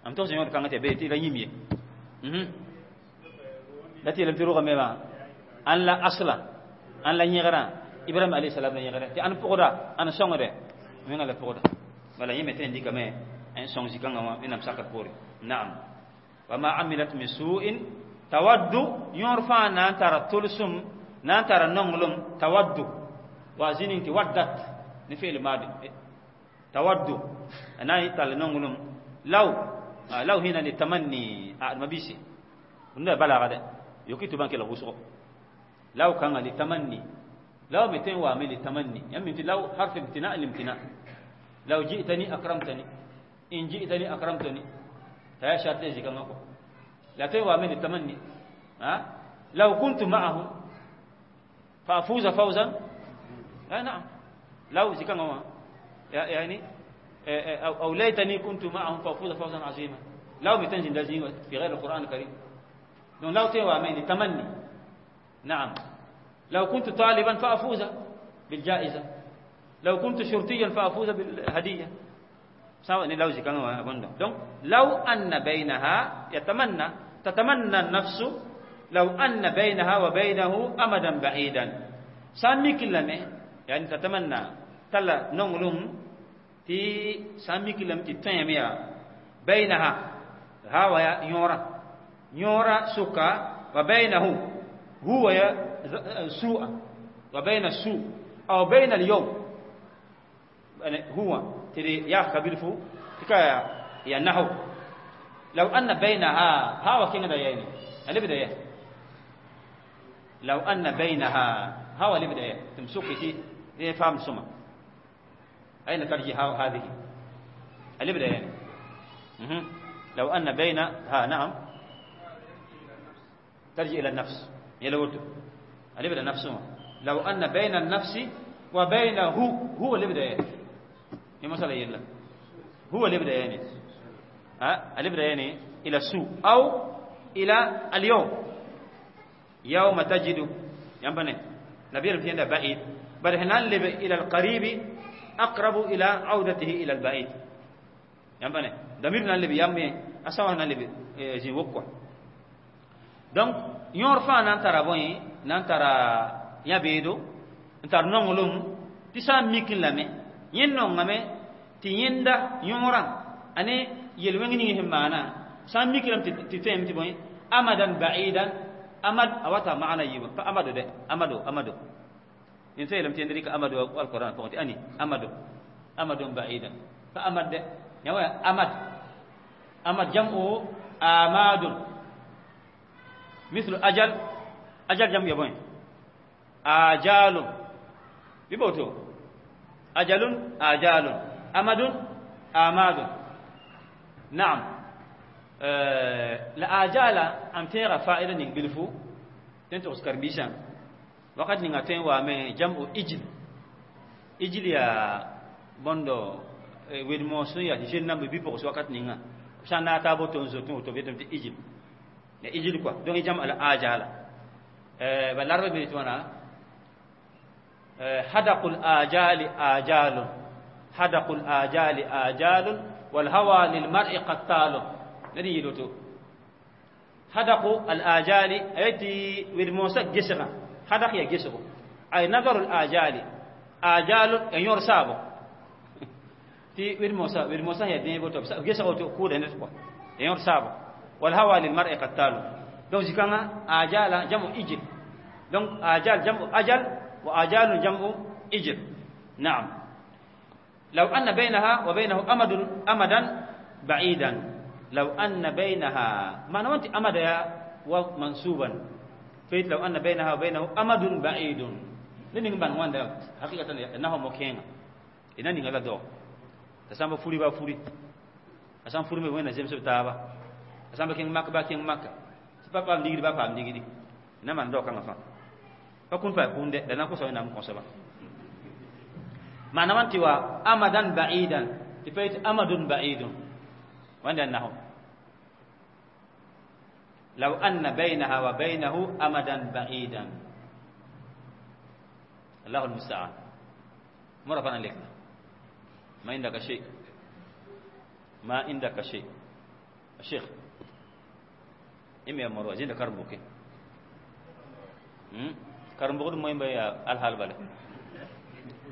am tog sẽn yõod kãngã tɩ be tɩ la yĩm ye la tɩ yeelame tɩ rʋgame wã ãn la asla ãn la yẽgrã Ibrahim alayhi salam la yẽgrã tɩ ãn pʋgda ãn sõngde menga la pʋgda bala yẽ me tõe n dɩkame n sõng zĩ-kãngã wã Wẽnnaam sakr poore. Naam, wa ma amilat min su'in tawaddu yõor fãa na n tara tʋlsem, na n tara nonglem. Tawaddu wa zĩning tɩ waddat ne fi'l madi tawaddu na n tall nonglem. Law, law hina litamanni mabisi nda balaga de yoki tɩ bãn kell wʋsgo. Law kãngã litamanni, law me tõe n waame litamanni yãmb tɩ law harf imtina limtina. Law ji'tani akramtani, in ji'tani akramtani, t'a yaa shart zĩ-kãngã kɔ la tõe n waame litamanni. لو كنت معه فأفوز فوزا. نعم، لو زكاة يعني أو ليتني كنت معهم فأفوز فوزا عظيما. لو بتنزل لازم في غير القرآن الكريم. لو تيوامين تمني. نعم، لو كنت طالبا فأفوز بالجائزة، لو كنت شرطيا فأفوز بالهدية، سواء لو زكاة. Donc لو أن بينها يتمنى، تتمنى النفس لو أن بينها وبينه أمدا بعيدا سامي كلمة يعني تتمنى تلا نونغلوم تي سامي كلمة تي بينها هاو يا يورا يورا سكا وبينه هو يا سوء وبين السوء أو بين اليوم يعني هو تري يا كبير فو تكا يا نحو. لو أن بينها ها وكين ده يعني اللي بدأ لو أن بينها ها اللي بدأ تمسكي تي فهم سما أين ترجع هذه اللي بدأ يعني لو أن بين ها. نعم، ترجع إلى النفس يلوتو اللي بدأ نفسه. لو أن بين النفس وبينه هو اللي بدأ يعني مثلا يلا هو اللي بدأ يعني ها اللي بدأ يعني إلى السوء أو إلى اليوم. يوم تجد ينبني نبي في بعيد بل هنا إلى القريب أقرب إلى عودته إلى البعيد ينبني ضميرنا اللي بيامي أسوأ اللي زي وقوة. Donc yõor fãa na n tara bõe na n tara yã-beedo n tar nonglem tɩ sã n mik lame yẽ nongame tɩ yẽnda yõorã ane yel-wẽng ning sẽn maana sã n mik lame tɩ tõeme tɩ bõe amadan ba'idan. Amad a wata maana yiibã pa amado dɛ amado amado yẽn tõe yeelame tɩ yẽnd rɩka amado alquran pʋgẽ tɩ ani amado amadun ba'idan pa amad dɛ yã wa amad amad jam'u amadun مثل أجل أجل جمع يبوين آجال بيبوتو أجل آجال أمد آماد. نعم، la ajala am tẽega fa'ida ning bilfu tẽn togs karen-biisã wakat ninga tõe n waame jam'u ijil ijil yaa bõndo wed-moos sẽn yaa tɩ zel namba bi-pʋgs wakat ninga b sã n naag taa boto n zoetẽ woto b yetame tɩ ijil. Ya ijil quoi. Donc jam al ajala. Ba larba bi twana hadaqul ajali ajalun. Hadaqul ajali ajalun wal hawa lil mar'i qattalun. Nadi yiloto. Hadaqu al ajali ayati wil musa gisra. Hadaq ya gisro. Ay nazaru al ajali. Ajalun en yor sabo. Ti wil musa ya den boto gisro to ku da ne quoi. En yor sabo. Wal hawa lil mar'i qattalun. Donc zikanga ajala jamu ijil. Donc ajal jamu ajal wa ajalun jamu ijil. Na'am. Law anna bainaha wa bainahu amadun amadan ba'idan. Law anna bainaha ma wanti amada ya wa mansuban. Fait law anna bainaha wa bainahu amadun ba'idun. Nini ban wanda hakikatan nahu mokenga. Ina ninga la do. Tasamba furi ba furi. Asam furi me wena zemse taba. Asamba keng makka ba keng makka. Papa am digidi ba pa am digidi. Ina man do kanga fa. Pa kun pa kunde da na ko so ina ko saba. Maana wanti wa amadan ba'idan. Tifait amadun ba'idun. Wanda nahu. Law anna bainaha wa bainahu amadan ba'idan. Allahu almusta'an. Mara fana lekna. Ma indaka shay. Ma indaka shay. الشيخ إمي أمر وزين كرمبوكي كرمبوك مهم بيا الحال بالك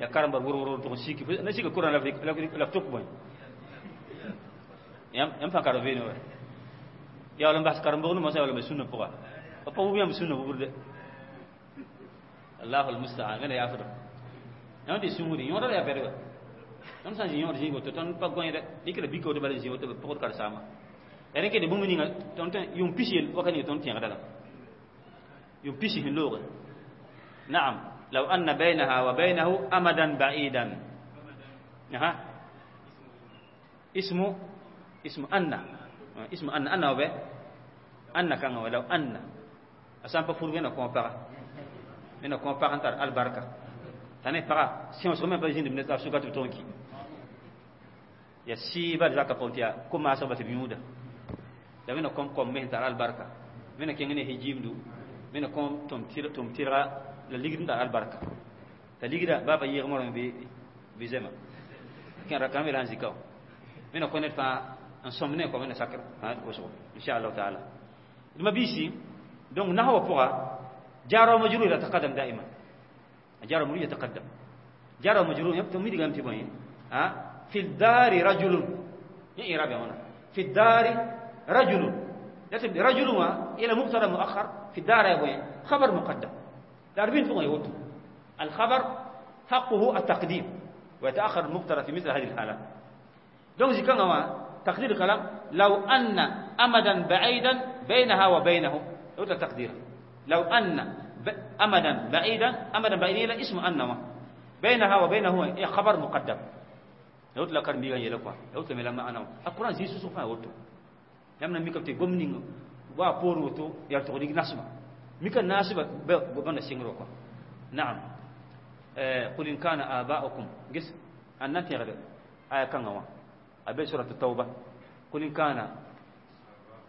يا كرمبر ور ور تكون سيكي نسيك كورن لافتوك بوين يم فان كارفين وين يا ولم بس كرمبوك ما سوى ولا بسنة بقى apa هو يم سنة بقول الله المستعان غير يا فرد يوم دي سموري يوم رأي بيرو يوم سانجي يوم رجيم وتو تون باغوين ده ديكلا بيكو ده بالي زيو تو بقول كارساما ene ke de bũmb ninga tõnd yʋng pis yel waka ninga tõnd tẽegda la yʋng pis sẽn looge naam law anna bainaha wa bainahu amadan ba'idan aha ismu ismu anna ismu anna anna wa be anna kanga wa law anna a sã n pa fur wẽna kõ paga wẽna kõ pag n tar albarka t'a ne paga sẽosg me pa zĩnd ne t'a sʋka tɩ b tog n ki ya sɩɩba zaka pʋgẽ tɩ yaa ko-maasg ba tɩ b yũuda la wẽna kõm kom me tar albarka wẽna kẽng ne hijimdu wẽna kõm tʋm tɩrga la ligd n tar albarka t'a ligda baa pa yɩɩg morame bɩ zɛma kẽ rakame la n zika wẽna kõ ned fãa n sõm ne kõ wẽna sakr wʋsgo inchallahu taala d mabiisi donc nahwa pʋga jar wa majrur yataqaddam daiman jar wa majrur yataqaddam jar wa majrur yãmb midgame tɩ bõe fi الدار رجل يا إعراب هنا في الدار رجل رجل إلى مبتدا مؤخر في الدار يا بوين خبر مقدم دار بين فوق يوتو الخبر حقه التقديم ويتأخر المبتدا في مثل هذه الحالات donc زكان تقدير الكلام لو أن أمدا بعيدا بينها وبينه لو تقدير لو أن أمدا بعيدا أمدا بعيدا اسم أن بينها وبينه خبر مقدم لو تلقى ميغان يلقوا لو تملا ما أنا القرآن زي سوسو فا وتو yãmb na mikame tɩ gom ning wa poor woto yaa tʋg nig nasma mika naasba bãnda sɩngr kɔ naam qul in kana aba'ukum ges an na tẽgd aya kãngã wã a be surat tauba qul in kana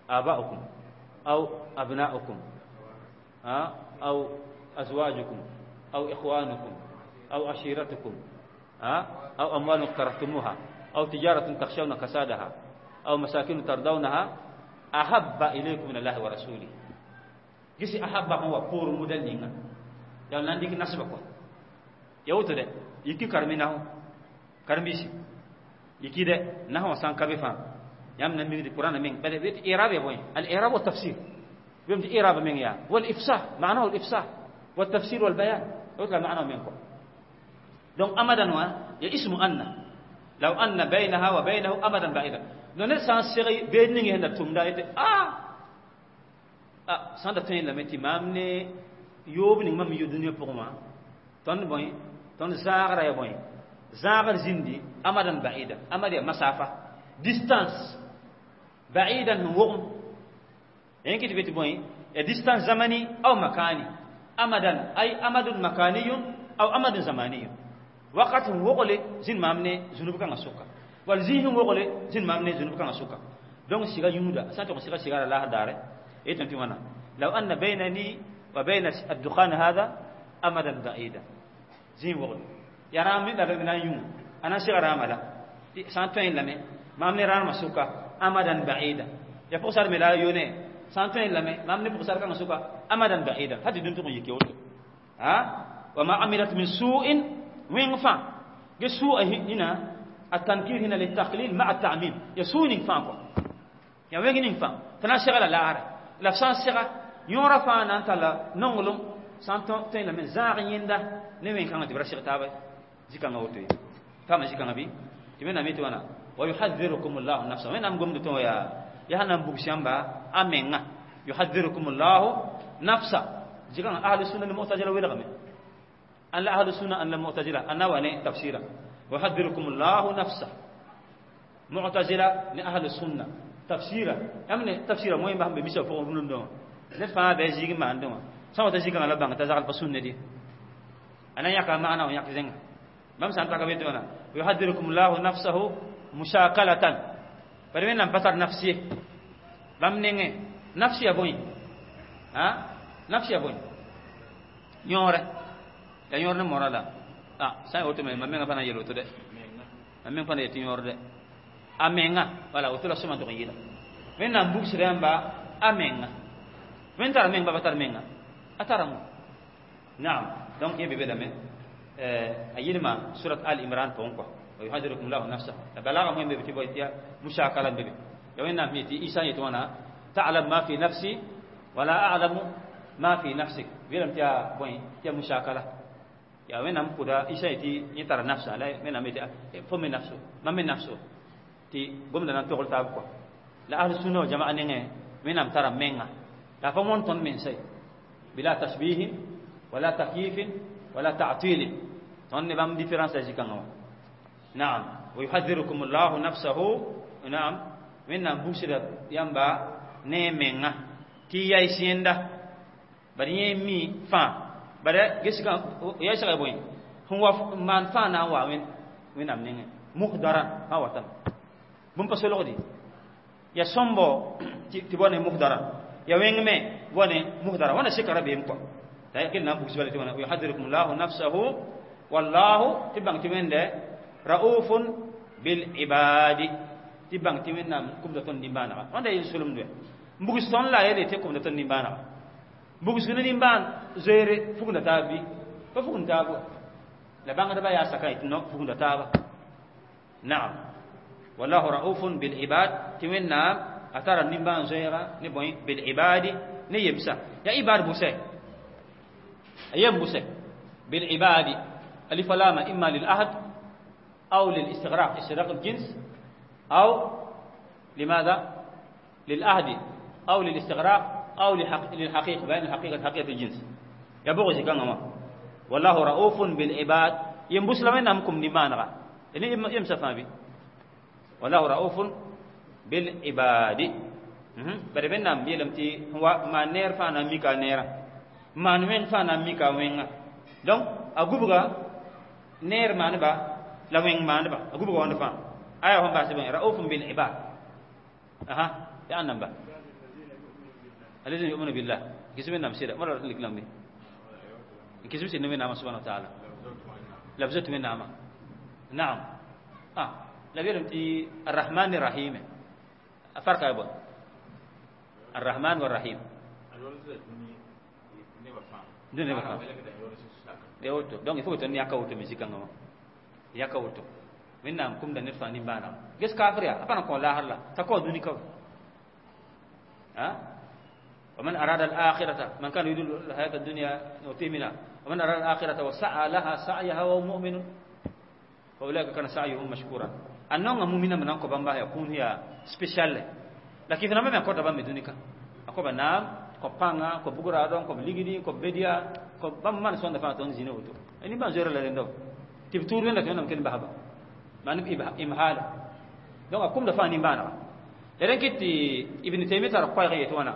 aba'ukum aw abna'ukum aw azwajukum aw ikhwanukum aw ashiratukum aw amwalun iqtaraftumuha aw tijaratun takhshawna kasadaha أو مساكن ترضونها أحب إليكم من الله ورسوله جسي أحب هو بور مدلنينغا يا لانديك نسبك يا وتر يكي كرمينه كرميسي يكي ده نحو سان كبي فان يام نمي دي القرآن من بل بيت إعراب يا بوين الإعراب والتفسير بيمت إعراب من يا والإفصاح معناه الإفصاح والتفسير والبيان يطلع معناه منكم دونك أمدا يا اسم أن لو أن بينها وبينه أمدا بعيدا No ned sã n seg beed ning sẽn da tʋmda yetɩ a sã n da tõe lame tɩ maam ne yoob ning mam yo dũniyã pʋgẽ wã tõnd bõe tõnd zãagra ya bõe zãagr zĩndi amadan ba'idan amad ya masafa distance ba'idan sẽn wogem yẽ kɩ tɩ be tɩ bõe ya distance zamani aw makani amadan ay amadun makaniyun aw amadun zamaniyun wakat sẽn wogle zĩnd maam ne zũnub kãngã sʋka wall zĩig sẽn wogle zĩnd maam ne zũnub kãngã sʋka donc siga yũuda sã n tʋg n siga sigara laasr daare Yetame tɩ wãna law anna baynani wa bayna addukhan hada amadan ba'ida zĩig wogd ya rãam me la b na n yũ a na n sega rãamã la sã n tõe lame maam ne rãamã sʋka amadan ba'ida ya pʋgsar me la a yone sã n tõe lame maam ne pʋgsar kãngã sʋka amadan ba'ida t'a tɩ dũni tʋg n yike woto ha wa ma amilat min su'in wẽng fãa ge su'a hina التنكير هنا للتقليل مع التعميم يسوء ning fãa kɔ ya wẽng ning fãa t'a na n segla laara la b sã n sega yõora fãa na n talla nonglem sã n tõe lame zãag yẽnda ne wẽn-kãngã tɩ b ra seg taaba zikãngã woto ye paama zikãngã bɩ tɩ wẽnnaam yetɩ wãna wa yuhadhirukum llahu nafsa wẽnnaam gomd tɩ yaa yaa sẽn na n bugs yãmba a menga yuhadhirukum llahu nafsa zikãngã ahlu sunna ne mu'tazila welgame an la ahlu sunna an la mu'tazila an na wa ne tafsira yuhadhirukum llahu nafsa mu'tazila ne ahlu sunna tafsira yãmb ne tafsira moẽ bas n be misa pʋgẽ rũndã wã ned fãa bɩ a zĩig n maandẽ wã sã n wa ta zikãngã la bãng t'a zagl pa sũnne dɩ a na yãka maana wã yãk zẽnga bãmb sã n taka be tɩ wãna yuhadhirukum llahu nafsahu mushakalatan bari wẽnnaam pa tar nafs ye bãmb nengẽ nafs ya bõe a nafs ya bõe yõore ya yõor ne mora la a sã n woto me mam menga pa na n yel woto dɛ mam meng pa na yetɩ yõor dɛ a menga wala woto la sõma tʋg n yɩla wẽnnaam bugsda yãmba a menga wẽn tara meng ba pa tar menga a taramo naam donc yẽ be belame a yɩlma surat al imran pʋgẽ kɔ wa yuhadirukum lahu nafsahu la balaga moẽ be tɩ bõe tɩ ya musakala n be be ya wẽnnaam yetɩ isa yetɩ wãna ta'lam ma fi nafsi wala a'lamu ma fi nafsik weelame tɩ yaa bõe tɩ ya musakala ya wẽnnaam kʋda isa yetɩ yẽ tara nafsa la wẽnnaam yetɩ fo me nafso mam me nafso tɩ gomda na n togl taab kɔ la ahl sunna wal jamaa nengẽ wẽnnaam tara menga la fa wõn tõnd mensa ye bila tashbihin wala takyifin wala ta'tilin tõnd ne bãmb différence a zikãngã wã naam wa yuhadhirukum llahu nafsahu naam wẽnnaam bugsda yãmba ne menga tɩ yay sẽnda bad yẽ mi fãa bad gesga yaysga bõe sẽn wa maan fãa na n wa wẽnnaam nengẽ muhdaran fãa watame bũmb pa solgdi ya sõmbo tɩ bɔ ne muhdaran ya wẽng me bɔ ne muhdaran wãna seka rabeem kɔ t'a kell na n bugs bala tɩ wãna yuhadhirukum llahu nafsahu wallahu tɩ bãng tɩ wẽnde raufun bil ibadi tɩ bãng tɩ wẽnnaam kumda tõnd nimbãanega wãnda yel solemd wɛ n bugs tõnd la a yele tɩ kumda tõnd nimbãanega bugs ne nimbãan zoeere fugunda taab bɩ pa fugund taab wa la bãngdbã yaa saka tɩ no fugunda taaba naam wallahu raufun bil ibad tɩ wẽnnaam a tara nimbãan zoeega ne bõe bil ibadi ne yemsa ya ibad bʋsɛ a yem bʋsɛ bil ibadi alif lama imma lil ahd أو للاستغراق استغراق الجنس أو لماذا للعهد أو للاستغراق أو للحقيقة بين الحقيقة حقيقة الجنس يا بغي كان والله رؤوف بالعباد ينبس لما نمكم نمانغا يعني يمسى فامي والله رؤوف بالعباد bare wẽnnaam yeelame tɩ wa maan neer fãa na n mika a neerã maan wẽng fãa na n mika a wẽnga donc a gubga neer maaneba la wẽng maaneba a gubga wãnd fãa aya sẽn baas bõe raufun bil ibad aha ya ãn namba alladhina yu'minuna billah kisb wẽnnaam sɩda wãna rat n lik lambe n kisb sɩd ne wẽnnaamã subhana wa taala la b zoet wẽnnaamã naam ah la b yeelame tɩ arrahman rahime a farka ya bõe الرحمن والرحيم dũni nebã fãa ya woto donc il faut que tõnd yaka woto me zikãngã wã yaka woto wẽnnaam kumda ned fãa nimbãanega ges kafr yaa a pa na kõ laasr la t'a kao dũni ka ومن أراد الآخرة من كان يريد الحياة الدنيا نؤتيه منها ومن أراد الآخرة وسعى لها سعيها وهو مؤمن فأولئك كان سعيهم مشكورا النوم مؤمنا من أنكو بامبا يكون هي spécial la kɩf nambã me kõta bãmb me dũni ka a kõba naam kõ pãnga kõ bugraadõ kõ ligdi kõ bedia kõ bãmb maan sõnda fãa tõnd zĩna woto nimbãan zoeera la rẽnda tɩ b tuud wẽnda tɩ wẽnnaam kell n basba maan b imhaala donc a kumda fãa nimbãanega la rẽ kɩt tɩ ibn taymi tar koɛɛg yetɩ wãna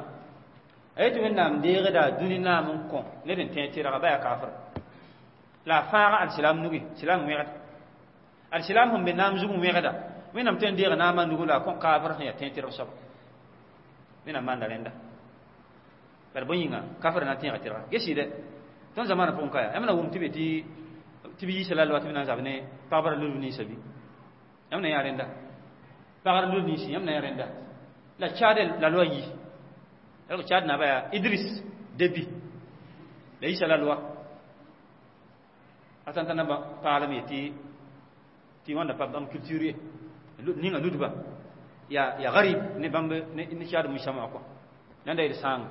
a yetɩ wẽnnaam deegda dũni naam n kõ ned n tẽ tɩrga ba yaa kafr la a fãaga alsilam nugi silam wẽgd alsilam sẽn be naam zug n wẽgda wẽnnaam tõe n deega naamã nugu la a kõ kafr sẽn yaa tẽ tɩrg soaba wẽnnaam maanda rẽnda Bala bõe yĩnga kafra na n tẽega tɩrga gesɩɩdɛ tõnd zamaanã pʋgẽ ka yaa yãmb na wʋm tɩ be tɩ b yiisa la lwa tɩ b na n zab ne pagbra lulb ninsã bɩ yãmb na yã rẽnda pagra lulb ninsi yãmb na yã rẽnda la Tchad la loi yi alors Tchad naba yaa Idriss Déby la yiisa la loi a tãn t'a namba paalem yetɩ tɩ wãnda pa bãmb culture ye ninga ludba ya garib ne bãmb ne Tchad mujtama kɔ nan da yel sãanga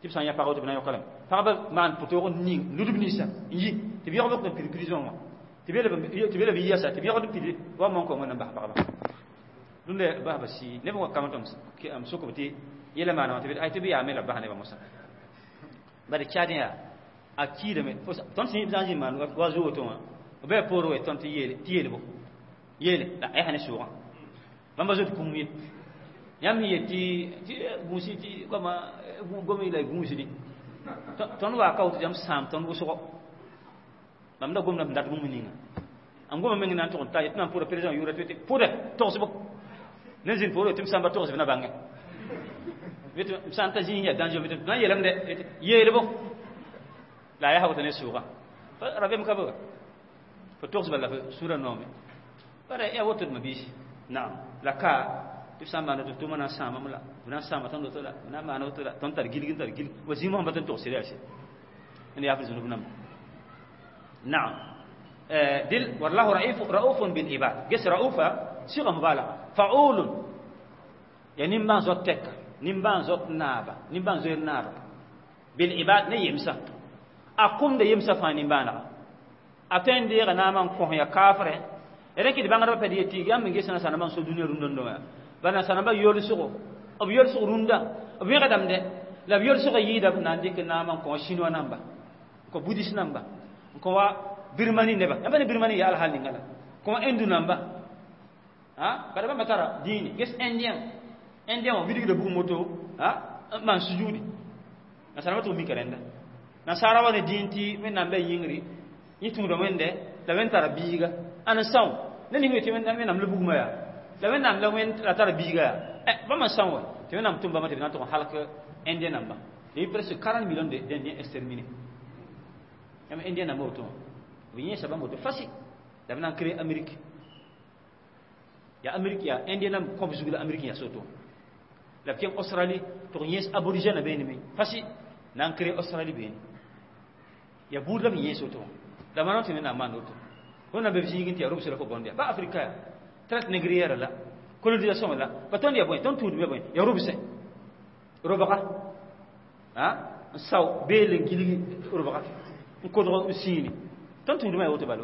tɩ b sã n yã pag woto b na n yõka lame pagba maan pʋtoog n ning ludb ninsã n yi tɩ b yõgb n pid prison wã tɩ b b yɛsa tɩ b yõgd n pid wa mon kɔ wẽnnaam bas pagba rũndã basba sɩ neb wa kam tɩ m sokb tɩ yɛla maana wã tɩ ay tɩ b yaa me la b bas nebã mosã bare Tchadien yaa a kiidame tõnd sẽn zã n zĩ maan wa zu woto wã b bɩ poor we tõnd tɩ yeelbo yeele la a yaa ne sʋʋgã bãmba zoet kũum ye yãmb sẽn yet tɩ gũusi tɩ goama gom la gũusdi tõnd waa ka woto yãmb sãam tõnd wʋsgo mam da gomda sẽn dat bũmb ninga n goma meng na n tʋg n ta tɩ nan pʋda président yʋʋra tɩ pʋdɛ togsbo ne zĩnd poore tɩ m sãmba togsb na bãnge m sã n ta zĩig yaa danger na n yeelame dɛ yeelbo la a yaa woto ne sʋʋga rabeem ka be fo togsba la fo sũurã noome bara yaa woto d mabiisi naam la ka tɩ b sã n maana tɩ tʋʋmã na n sãamame la b na n sãama tõnd woto la b na n maana woto la tõnd tar gilg n tar gilg wa zĩig mosã pa tɩ n togs yaa sɛ n yaa f zũnub namba naam dil wallahu raufun bil ibad ges raufa siga mubalaga faulun ya nimbãan zot tɛka nimbãan zot naaba nimbãan zoeer naaba bil ibad ne yemsa a kʋmda yemsa fãa nimbãanega a tõe n deega naamã n kõs ya kaafrẽ rẽ kɩ d bãngdbã pɛd yetɩ yãmb n ges nasaanambã n so dũniyã rũndã ba nasaanambã yolsgo b yolsg rũndã b wẽgdame la b yolsgã yɩɩda b na n dɩk naamã n kõ chinois namba n kõ bouddhiste namba n kõ wa Birmanie neba yãmb ne Birmanie yaa alhal ninga la kõ wa Hindu namba bara bãmba tara dĩine ges indien indien wã wilgda bugum woto n maan sujudi nasaanambã tʋg mika rẽnda nasaara wa ne dĩin tɩ wẽnnaam bɩ a yĩngri yẽ tũuda wẽnde la wẽnd tara biiga ãn n são ne ning tɩ wẽnnaam la bugmã yaa la wẽnnaam la wẽnd la tara biiga yaa bãmb n são wa tɩ wẽnnaam tʋm bãmba tɩ b na n tʋg n halk indien namba. Il y a eu presque 40 millions d'Indiens exterminés. Yãmb indien namba woto wã b yẽesa bãmb woto fasi la b na n créé Amérique ya Amérique ya indien nam kõb zug la Amérique ya soto la b kẽng Australie tɩ yẽes aborigène beene me fasi na n créé Australie beene ya buud la b yẽes woto la manã tɩ wẽnnaam maan woto wẽnnaam be b zĩigẽ tɩ yaa robsã la fo bõnd ya ba Afrika ya traite négrière la colonisation la ba tõnd ya bõe tõnd tũudme bõe ya robsẽ robga n sao beel n gilg robga n kodg n sĩini tõnd tũudmã ya woto bala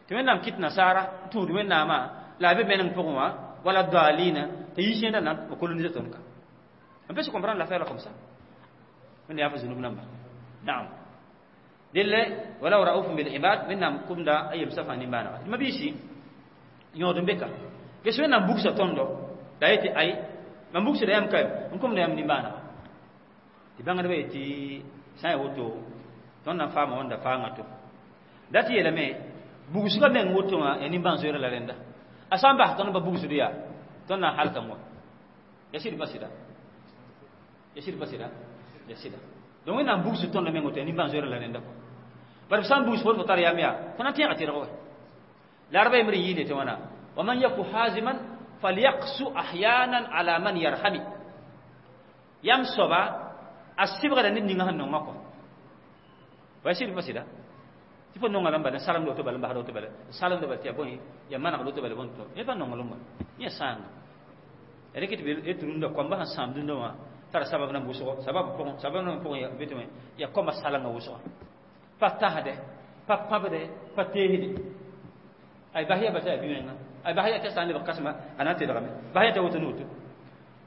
tɩ wẽnnaam kɩt nasaara n tũud wẽnnaamã la a be meneng pʋgẽ wã wala dalina tɩ yi sẽnda na n coloniser tõnd ka. On peut se comprendre l'affaire là comme ça. Wẽnda yaa fo zũnub namba naam delle wala raufun bil ibad wẽnnaam kʋmda a yemsã fãa nimbãanega tɩ mabiisi yõod n be ka ges wẽnnaam bugsa tõndo la yetɩ ay mam bugsda yãmb ka n kʋmda yãmb nimbãanega tɩ bãngdbã yetɩ sã n ya woto tõnd na n faama wãnda faangã to dat yeelame bugsgã meng woto wã ya nimbãan-zoeerã la rẽnda a sã n bas tõnd ba bugsd yaa tõnd na n halkame wa ya sɩd pa sɩda ya sɩd pa sɩda ya sɩda donc wẽnnaam bugsd tõndã meng woto ya nimbãan-zoeerã la rẽnda kɔ bara b sã n bugs fo fo tar yam yaa fo na n tẽega tɩrg wa la arba yembr n yɩɩle tɩ wãna wa man yaku haziman falyaqsu ahyanan ala man yarhami yam soaba a sɩbgda ned ninga sẽn nongã kɔ wa sɩd pa sɩda tɩ fo nonga lamba n salemd woto bala n basd woto bala n salemda bala tɩ ya bõe ya manegd woto bala bõn to yẽ pa nonglem wa yẽ sãanga ya rɩk tɩ b tɩ rũndã koamba sẽn sãam dũndã wã tara sabab nan wʋsgo sabab pʋgẽ sabab nan pʋgẽ be tɩ ya koamba salengã wʋsga pa tasde pa pãbde pa teesde ay bas ya bas ya bi-menga ay bas ya tɩ sã n lebg kãsema a na n tedgame bas ya t'a woto ne woto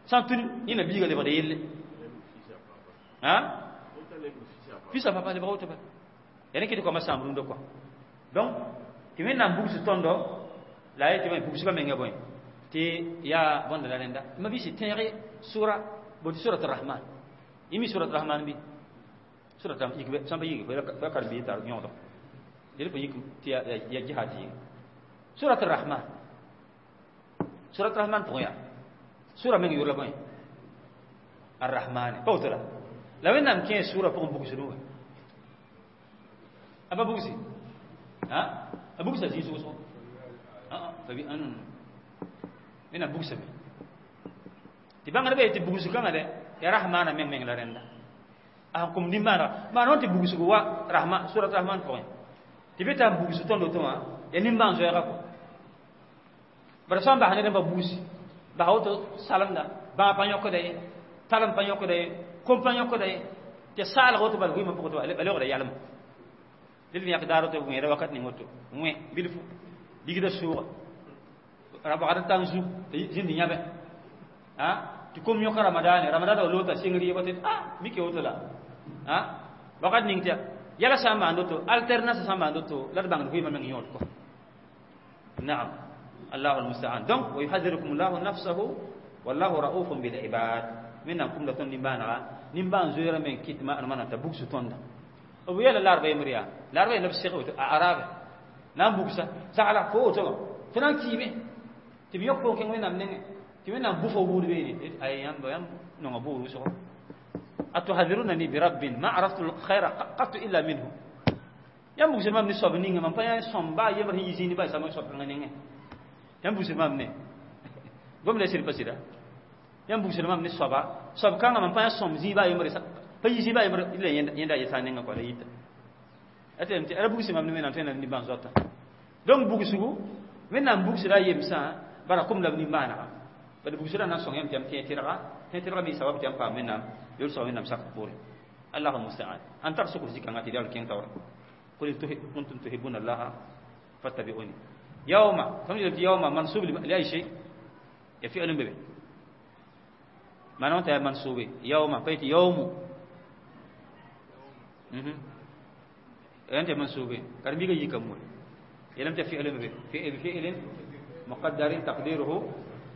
sã n tʋd yẽna biiga lebgd yelle fils a papa lebg woto bala ya rẽ kɩ tɩ koamba sãam rũndã kɔ donc tɩ wẽnnaam bugs tõndo la a yetɩ bõe bugsgã menga bõe tɩ yaa bõnda la rẽnda ma bɩ tẽege sʋra botɩ surat rahman yẽ mi surat rahman bɩ surat yik sãn pa yik fo ya karen-biis tar yõodg yel fo yik tɩ ya jihad yĩnga surat rahman surat rahman pʋgẽ yaa sura meng yʋʋr la bõe arrahmane pa woto la La wẽnnaam kẽ sʋʋrã pʋgẽ bugsdẽ wã a pa bugsi a bugsa zĩis wʋsgo wẽnnaam bugsame tɩ bãngdbã yetɩ bugsg kãngã dɛ ya rahmaana meng meng la rẽnda a sẽn kʋm nimbãanega maan wã tɩ bugsg wa rahma surat rahman pʋgẽ tɩ be t'a n bugsg tõnd woto wã ya nimbãan-zoɛɛga kɔ bara sã n bas ned n pa bugsi basa woto salemda bãag pa yõkda ye talem pa yõkda ye kom pa yõkda ye tɩ saalg woto bala vɩɩmã pʋgẽ tɩ a leoogda yalma dɩl yãk daar woto wẽeda wakat ning woto wẽ bilfu ligda sʋʋga wagd tang zu tɩ zĩnd yãbe tɩ kom yõka ramadaane ramadaana wa loota sɩng rɩɩbã tɩ mike woto la wakat ning tɩ yɛla sã n maan woto alternance sã n maan woto la d bãngd vɩɩmã meng yõod kɔ naam الله المستعان. Donc ويحذركم الله نفسه والله رؤوف بالعباد. من كم لا تون نيمبانا نيمبان زويرا من كيت ما أنا تبوكس توندا ويلا الأربعة يمريا الأربعة نفس الشيء أعراب نام بوكسا سألا فوق تو فلان كيمي تبي يقول كم وين نام تبي نام بوفو بول بيني أي يام بيام نعم بول وسوا أتحذرونني برب ما عرفت الخير قط إلا منه. يام بوكس ما من الصوب نيجا ما بيا صنبا يمر هي يزيني باي سامي صوب نيجا yãmb bugsd mam ne gomda sɩd pa sɩda yãmb bugsd mam ne soaba soab kãngã mam pa yã sõm zĩig baa yembre pa yi zĩig baa yembre la yẽnda yeta a nengã kɔa la yita a tɩ ra bugsd mam ne wẽnnaam tõe na nimbãan zoata donc bugsgu wẽnnaam bugsda a yemsã bara kom la b nimbãanega bad bugsdã na n sõng yãmb tɩ yãmb tẽ tɩrga tẽ tɩrga me sabab tɩ yãmb paam wẽnnaam yolsg wẽnnaam sak poorẽ allahu musta'an an tar sʋkr zĩ-kãngã tɩ d yaa kẽng taoora qul in kuntum tuhibuna allaha fattabi'uni يوم فهم يوم منصوب لأي شيء يفعل به ما نوت منصوب يوم فيت يوم أنت منصوب كرمي يجي كمول يلم تفعل به فعل فعل مقدر تقديره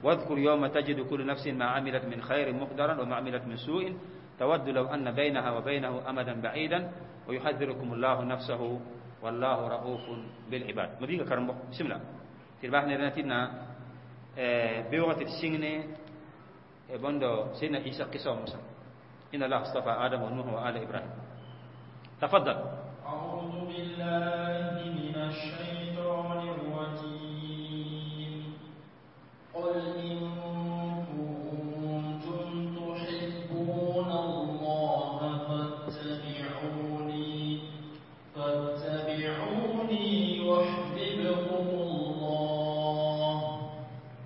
واذكر يوم تجد كل نفس ما عملت من خير مقدرا وما عملت من سوء تود لو أن بينها وبينه أمدا بعيدا ويحذركم الله نفسه والله رؤوف بالعباد. ما بيجا كرمبو بسم الله تربح نرنتنا بيوغة السجن بندو سيدنا عيسى قصة موسى إن الله اصطفى آدم ونوح وآل إبراهيم. تفضل. أعوذ بالله من الشيطان الرجيم. قل إن كنتم تحبون الله فاتبعوني يحببكم الله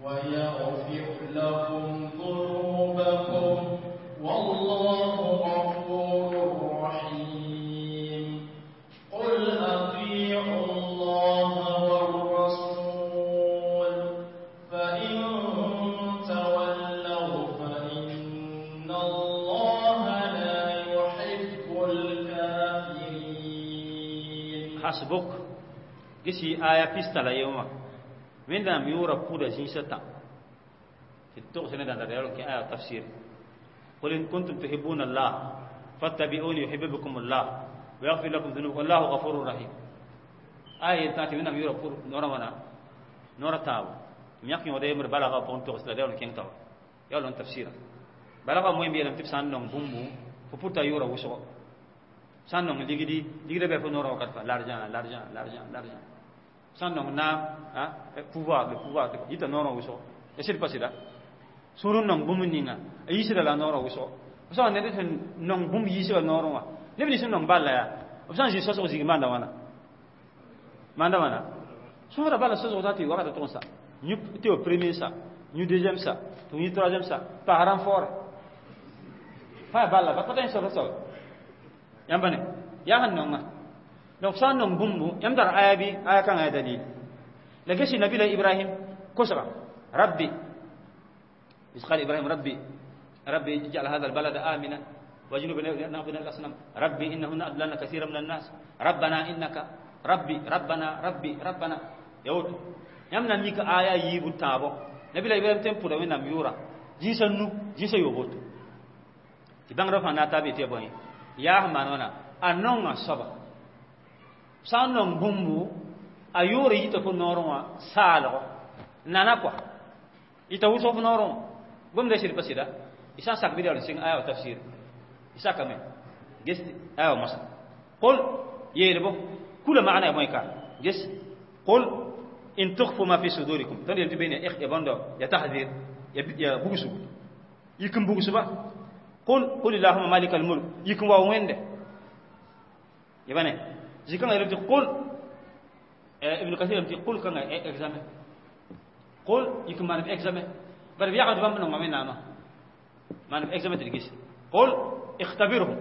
ويغفر لكم ذنوبكم والله غفور رحيم. قل أطيعوا الله والرسول فإن تولوا فإن الله لا يحب الكافرين. حسبك gisi aya pista la yewma wẽnnaam yʋʋra pʋda zĩisã tã tɩ togs ne dãnda yaool kẽ aya tafsir qul in kuntum tuhibbuna allah fattabi'uni yuhibbukum allah wa yaghfir lakum dhunubakum wallahu ghafurur rahim aya yel tã tɩ wẽnnaam yʋʋra pʋd noorã wãna noorã tãabo tɩ m yãk yõoda yembr balga pʋgẽ togs la yaool kẽng taoor yaool n tafsira balga moẽ yeelame tɩ b sã n nong bũmbu fo pʋta yʋʋra wʋsgo sã n nong ligdi ligda bɩ fo noorã wakat fãa l'argent l'argent l'argent l'argent sã n nong naam pouvoir le pouvoir yita noorã wʋsgo ya sɩd pa sɩda sũur n nong bũmb ninga a yiisda la noorã wʋsgo b sã n ned sẽn nong bũmb yiisga noorẽ wã neb nins n nong balla yaa b sã n zĩ sosg zĩig maanda wãna maanda wãna sõsda bala sosg t'a tɩ wakata tʋg n sa tɩ wa premier sa yũ deuxième sa tɩ yũ troisième sa paas renfort pa yaa balla pa tõe n sosd soab yãmba ne yaa sẽn nonga donc sã n nong bũmbu yãmb tar aya bɩ aya kãngã yaa dalil la gesi nabila ibrahim kosga rabbi إذ قال إبراهيم ربي ربي اجعل هذا البلد آمنا واجنبنا نعبد الأصنام ربي إنهن أضللن كثيرا من الناس ربنا إنك ربي ربنا ربي ربنا يوت يمنا ميك آية يبو تابو نبي إبراهيم تم پودا وينام يورا جنس نو جنس يوبوت تبان رفع ناتابي تيبوين يا مانونا أنونغ سبا سانون بومبو أيوري يتفو نوروا سالو نانا كوا يتفو سوف نوروا gomda sɩd pa sɩda y sã n sak bɩ yaool n sɩng aya wa tafsir Isaka me ges ayo masa qul yeelbo kula maana ya moy ka ges qul in tukhfu ma fi sudurikum tan yel tibene ikh ya bondo ya tahzir ya bugusu yikum bugusu ba qul qul allahumma malikal mulk yikum wa wende yabane zikanga yel qul ibn kathir ti qul kanga examen qul yikum man examen bar biya bam no ngame nama man examen ti gis qul ikhtabirhum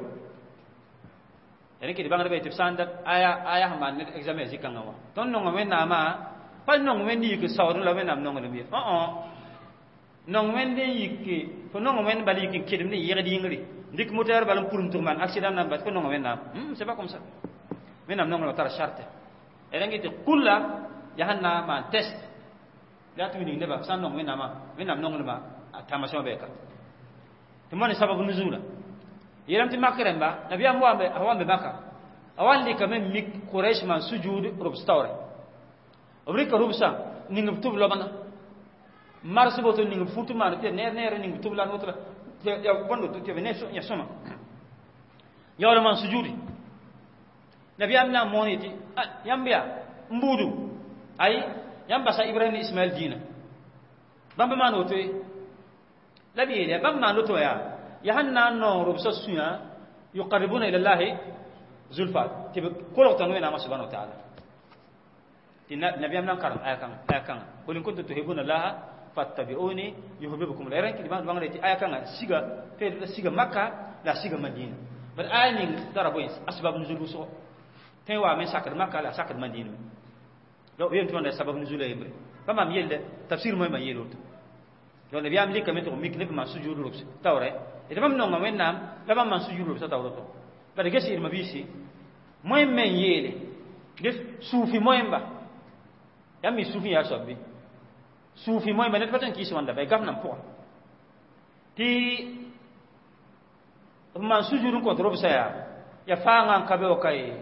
yani ki bangre be tibsanda aya aya man examen zikanga wa ton no ngame nama pa nong wen yik sawr la wen nam nong le o o nong wen de yik fo nong wen bali yik kedim ne yegdi yingri ndik moteur balam pour tour man accident nam bat ko nong wen nam c'est pas comme ça wen nam nong la tar charte erengi te kulla yahanna man test la tu ni neba san nong wen nama wen nam nong le ma attamation be ka to mon sababu nuzula yeram ti makremba nabi am wambe awambe maka awalli kamen mik quraish man sujud rubstawre obrika rubsa ning tub lobana mars boto ning futu man te ner ner ning tub lan wotra ya bondo te ne so ya soma ya wala man sujudi nabi amna moniti yambia mbudu ay yamba sa ibrahim ismail dina bamba man woto labi ya bamba man woto ya ya hanna no rubsa sunya yuqarribuna ila allah zulfa te ko tan wena ma subhanahu wa ta'ala nabi am nan karam aya kan qul in kuntum tuhibbuna allaha fattabi'uni yuhibbukum la ranki diban bangre ti aya kan siga te siga makka la siga madina bar aya ning tara boy asbab nuzul so te wa men sakar makka la sakar madina do yem to sabab nuzul yembre fama mi yelde tafsir moy ma yelo to do nabi am lika men to mik ne ma sujudu rubs tawre e bam no ngam nam la bam man sujudu rubs tawre to bar gesi irma bisi moy men yele ges sufi moy mba yam mi sufi ya sabbi sufi moy men patan ki wanda bay gafnam po ti man sujudun ko rob saya ya faanga kabe o kay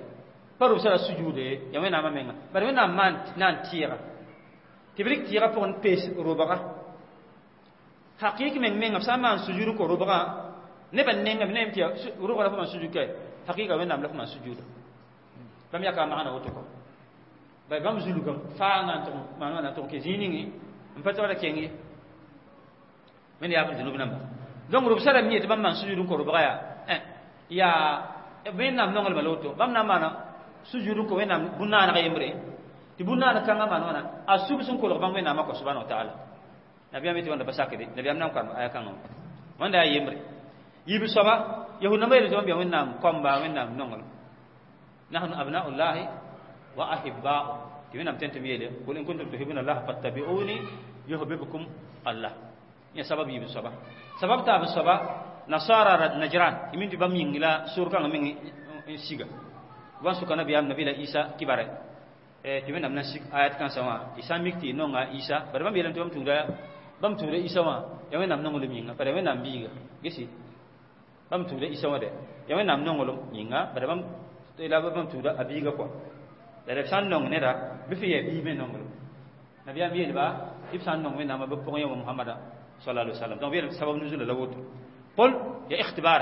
paru sala sujude ya wena ma menga bar wena man nan tira ti brik tira pour un pes robaga haqiq men menga sa man sujudun ko robaga ne ban nenga ne ti robaga la man sujud kay haqiqa wena la man sujuda bam ya ka maana woto ko bay bam zulugam faanga to man wana to ke ziningi mpata wala kengi men ya ban dunub namba donc rob sala mi bam man sujudun ko robaga ya ya ben nam nongol maloto bam na mana sujudun ko wenam bunna na yembre ti bunna na kanga man wana asub sun ko bam wenam ko subhanahu wa ta'ala nabi amiti wanda basakede nabi amnam kan aya kanga wanda yembre yibi soba yahud na mayel zombi wenam komba wenam nongol nahnu abna'ullahi wa ahibba'u ti wenam tente miyele qul in kuntum tuhibbuna allaha fattabi'uni yuhibbukum allah ya sabab yibi soba sabab ta bi soba nasara najran imin ti bam yingila sur kanga min siga wan suka nabi am nabi la isa kibare e ti wenam na sik ayat kan sama isa mikti nonga isa bar bam yelam ti bam tuda isa wa ya wenam nongolum yinga bare wenam biga gesi bam tuda isa wa de ya wenam nongolum yinga bare bam ila bam tuda abiga ko la san nong ne da bi fi ye bi me nongolum nabi am yelba ib san nong wenam ba pon yo muhammad sallallahu alaihi wasallam donc yel sabab nuzul la woto قل يا اختبار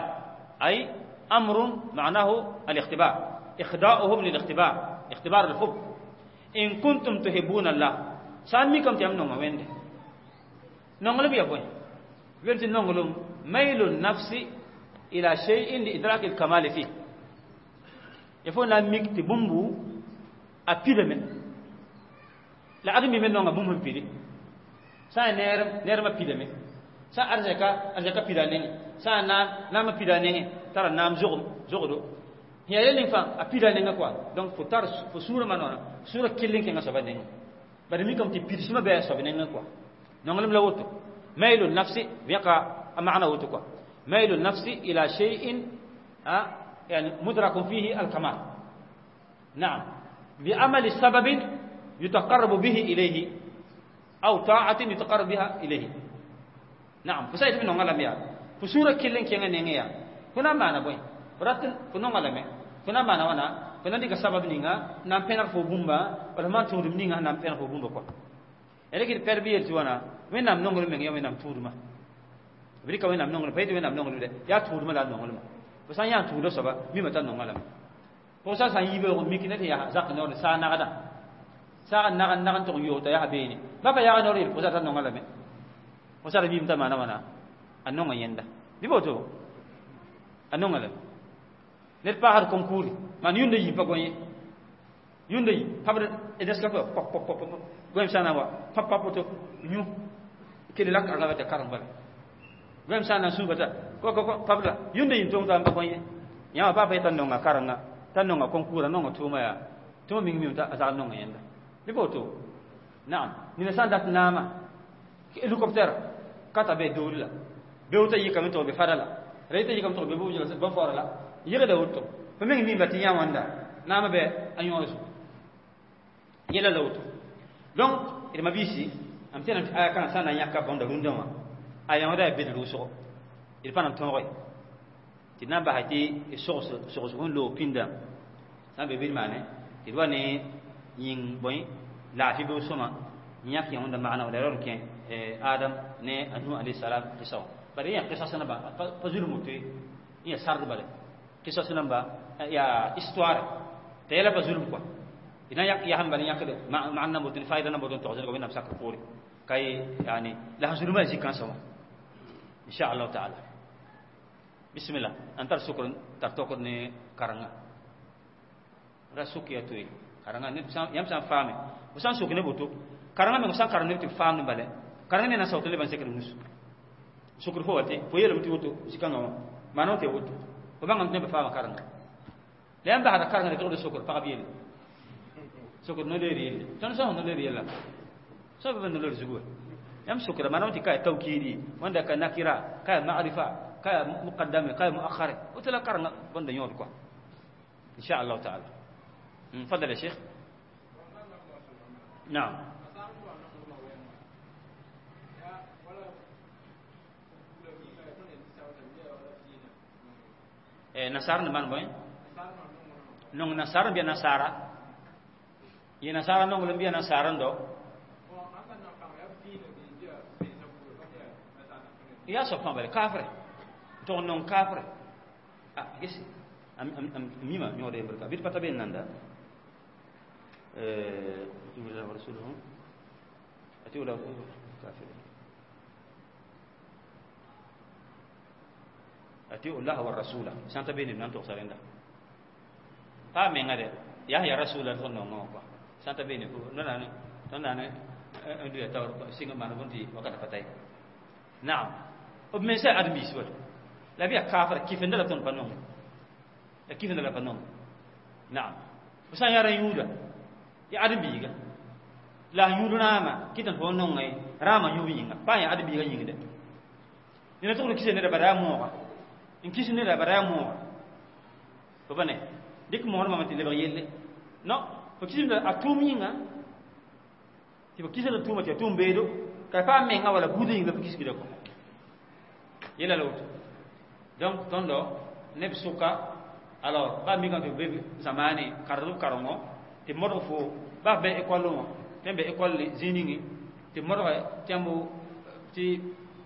أي أمر معناه الاختبار إخضاؤهم للاختبار اختبار الحب إن كنتم تحبون الله ساميكم تيام نونغ وين نونغ بيا بوين وين نونغ ميل النفس إلى شيء لإدراك الكمال فيه يفون لا ميك تبومبو أبيد من لا أدمي من نونغ بومبو بيدي سا نير نير ما بيد من sa arzaka arzaka pida nenge sa na nama pida nenge tara nam zogum zogodo ya yelin fa a pida nenge quoi donc faut tar faut sura manona sura killing kenga soba nenge bari mi kam ti pidi suma be soba nenge quoi nongalam la woto mailu nafsi biqa maana woto quoi mailu nafsi ila shay'in يعني مدرك فيه الكمال نعم بعمل سبب يتقرب به إليه أو طاعة يتقرب بها إليه نعم فسايت من نغلا ميا فسورة كيلين كيغا نيغيا كنا مانا بوي براتن كنا نغلا مي كنا مانا وانا كنا ديك سبب نيغا نام بينا فو بومبا ولا ما تودم نيغا نام بينا فو بومبا كو eleki perbiyer ti wana wẽnnaam nonglem meng ya wẽnnaam tʋʋdmã b rɩka wẽnnaam nonglem pa yetɩ wẽnnaam nonglem de yaa tʋʋdmã la a nonglema Fo sã n yaa n tũuda soaba mima t'a nonga lame. Pʋg sã n yi beoog n mik ne tɩ yaa zak noor saag nagda. Saag n nag n nag n tʋg n yoog t'a yaa beene. Ba pa yaag noor yel pʋgsa t'a nonga lame. Pʋgsa ra mim t'a maana wãna a nonga yẽnda. Bɩ boto a nonga lame. Ned paasd concours maan yũnda yi pa gõ ye. Yũnda yi pabd Nescafé pop pop pop pop goem sã na wa pap pap woto yũ kele la karengã t'a kareng bala. Goem sã na n sũuga t'a ko ko ko pabda yũnda yi n tong t'a n pa gõ ye. Yãmba pa pa yeta nonga karenga t'a nonga concours a nonga tʋʋma yaa tɩ ming mim t'a zag nonga yẽnda. Bɩ boto naam nina sã n dat naama hélicoptère ka ta be doori la beoog t'a yikame tɩ b be fada la ra yita yikame tɩ b be bõn-faoora la yɩgda woto fo meng mimba tɩ yã wãnda naamã bɩ a yõor zugu yɛla la woto. Donc d mabiisi m tẽnam tɩ aya kãngã sã n na n yãka bõnda rũndã wã a yãooda yaa bed rʋʋsgo d pa na n tõoge tɩ d na n basa tɩ sogsg n loog pĩndã sã n be bɩ d maane tɩ d wa ne yĩng bõe laafɩ beoog sõma n yãk yãoonda maana la ra kẽ Adam ne a Nuh alayhi salam qissa wã bala yẽ qissa namba pa zulum woto ye yẽ sard bala qissa namba yaa histoire t'a yɛla pa zulum quoi d na yak yasẽn bala yãkde maan na boto ne fayda na boto n togs wẽnnaam sakr poore ka ye yani la sẽn zulumã zĩ-kãnsã wã insha allahu taala. Bismillah n tar sokr tar tokd ne karenga ra sok ya toe karenga yãmb sã n faame fo sã n sok ne boto karenga meng sã n karem neb tɩ b faamd bala karenga ne na saoot leb n sekd nus sokr fo wa tɩ fo yeelame tɩ woto zĩ-kãngã wã maana tɩ woto fo bãngame tɩ nebã faama karenga la yãmb basda karenga tɩ togd sokr pagb yelle sokr no-leer yelle tõnd sã no-leer yella sã b no-leer zugu yãmb sokra maana tɩ ka ya tawkiidi wãnda ka nakira ka ya ma'rifa ka ya muqaddame ka ya muakhare woto la karenga bõnda yõod quoi insha allahu taala. تفضل يا شيخ. نعم. Nasara ne man boy nong nasara biya nasara ye nasara nong lem biya nasara ndo ya so pa bale kafre to nong kafre ah gesi am am am mima nyode barka bit pata ben nanda الله ورسوله أتوا له كافرين أتيوا الله والرسول سانتا بين نان تو سارندا pa menga de ya ya rasul to no no ko santa bene ko no na to na ne ndu ya tawr singa man bonti wakata patay na'am ob men sa admi swat la biya kafir kifenda la ton panon la kifenda la panon na'am sa yara yuda ya admi ga la yudu nama kitan fo non ngai rama yubi yinga pa ya admi ga yingde ni na to kise ne da bara mo ka in kise ne da bara mo ko bane dik mo ma ti lebr yelle no fo kise da atum yinga ti fo kise da tuma ti atum bedo ka pa menga wala budu yinga fo kise ko yela lo donc tondo neb suka alors ba mi kan be zamani kardu karongo ti modgo fo ba be école mo tembe école ziningi ti modgo tembo ti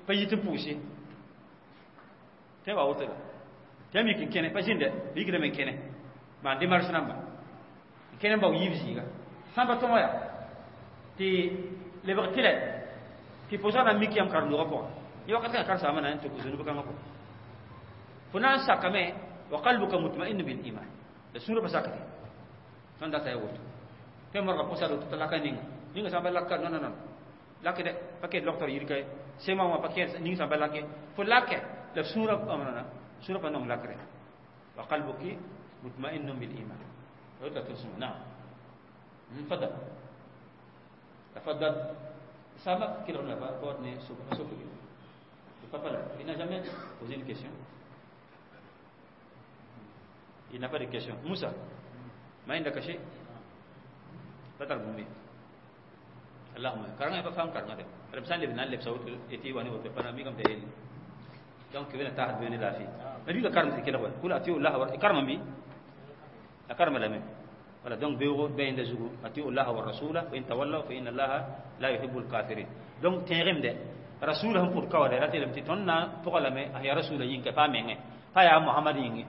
payit poussé te ba wote tem yikin kene pa jinde yikre men kene ma démarche namba kene ba yibziga samba tomoya ti le tile ti posa na mikiyam kardu ko yo ka kar sama na to kuzunu kan ko funa sakame wa qalbuka mutma'in bil iman da sura basakati ton data yawoto te morga posa do to laka ninga ninga samba laka non non non lake de paquet docteur yirkay sema ma paquet ninga samba lake fo lake la sura amana sura pa non lakre wa qalbuki mutma'innun bil iman wa ta tusma. Na'am, تفضل تفضل. Sama qu'il n'a pas ne sauf le papa là, il n'a jamais posé une question. Il n'a pas de question. Moussa, ما عندك شيء؟ بتر بومي. اللهم karanga pa fam karanga de. Rabsan lebna leb sawt eti wani wote pana mi kam te el. Donc wena tahat bene la fi. Mais bi ka karma ke la kula atiu Allah wa karma bi. La karma la me. Voilà, donc beuro be inda zugu atiu Allah wa rasula wa in tawallaw fa inna Allah la yuhibbul kafirin. Donc tenrem de rasul han pour kawade ratelem ti tonna pogala me ya rasula yin ka pa menge. Pa yaa Mohamad yĩnge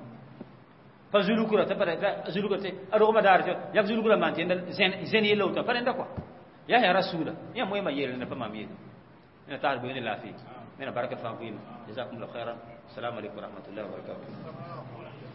pa zulukra tɩ pa zulukra tɩ a rogmã daar tɩ yak zulukra maan tɩ zẽn yella woto pa rẽnda kɔa yaa yaa rasuula yãmb wẽma yeel rẽnda pa maam yeele na taas boe ne laafɩ wẽna barka fãa vɩɩmã jazakumullah khairan. Assalamu alaikum warahmatullahi wabarakatuh.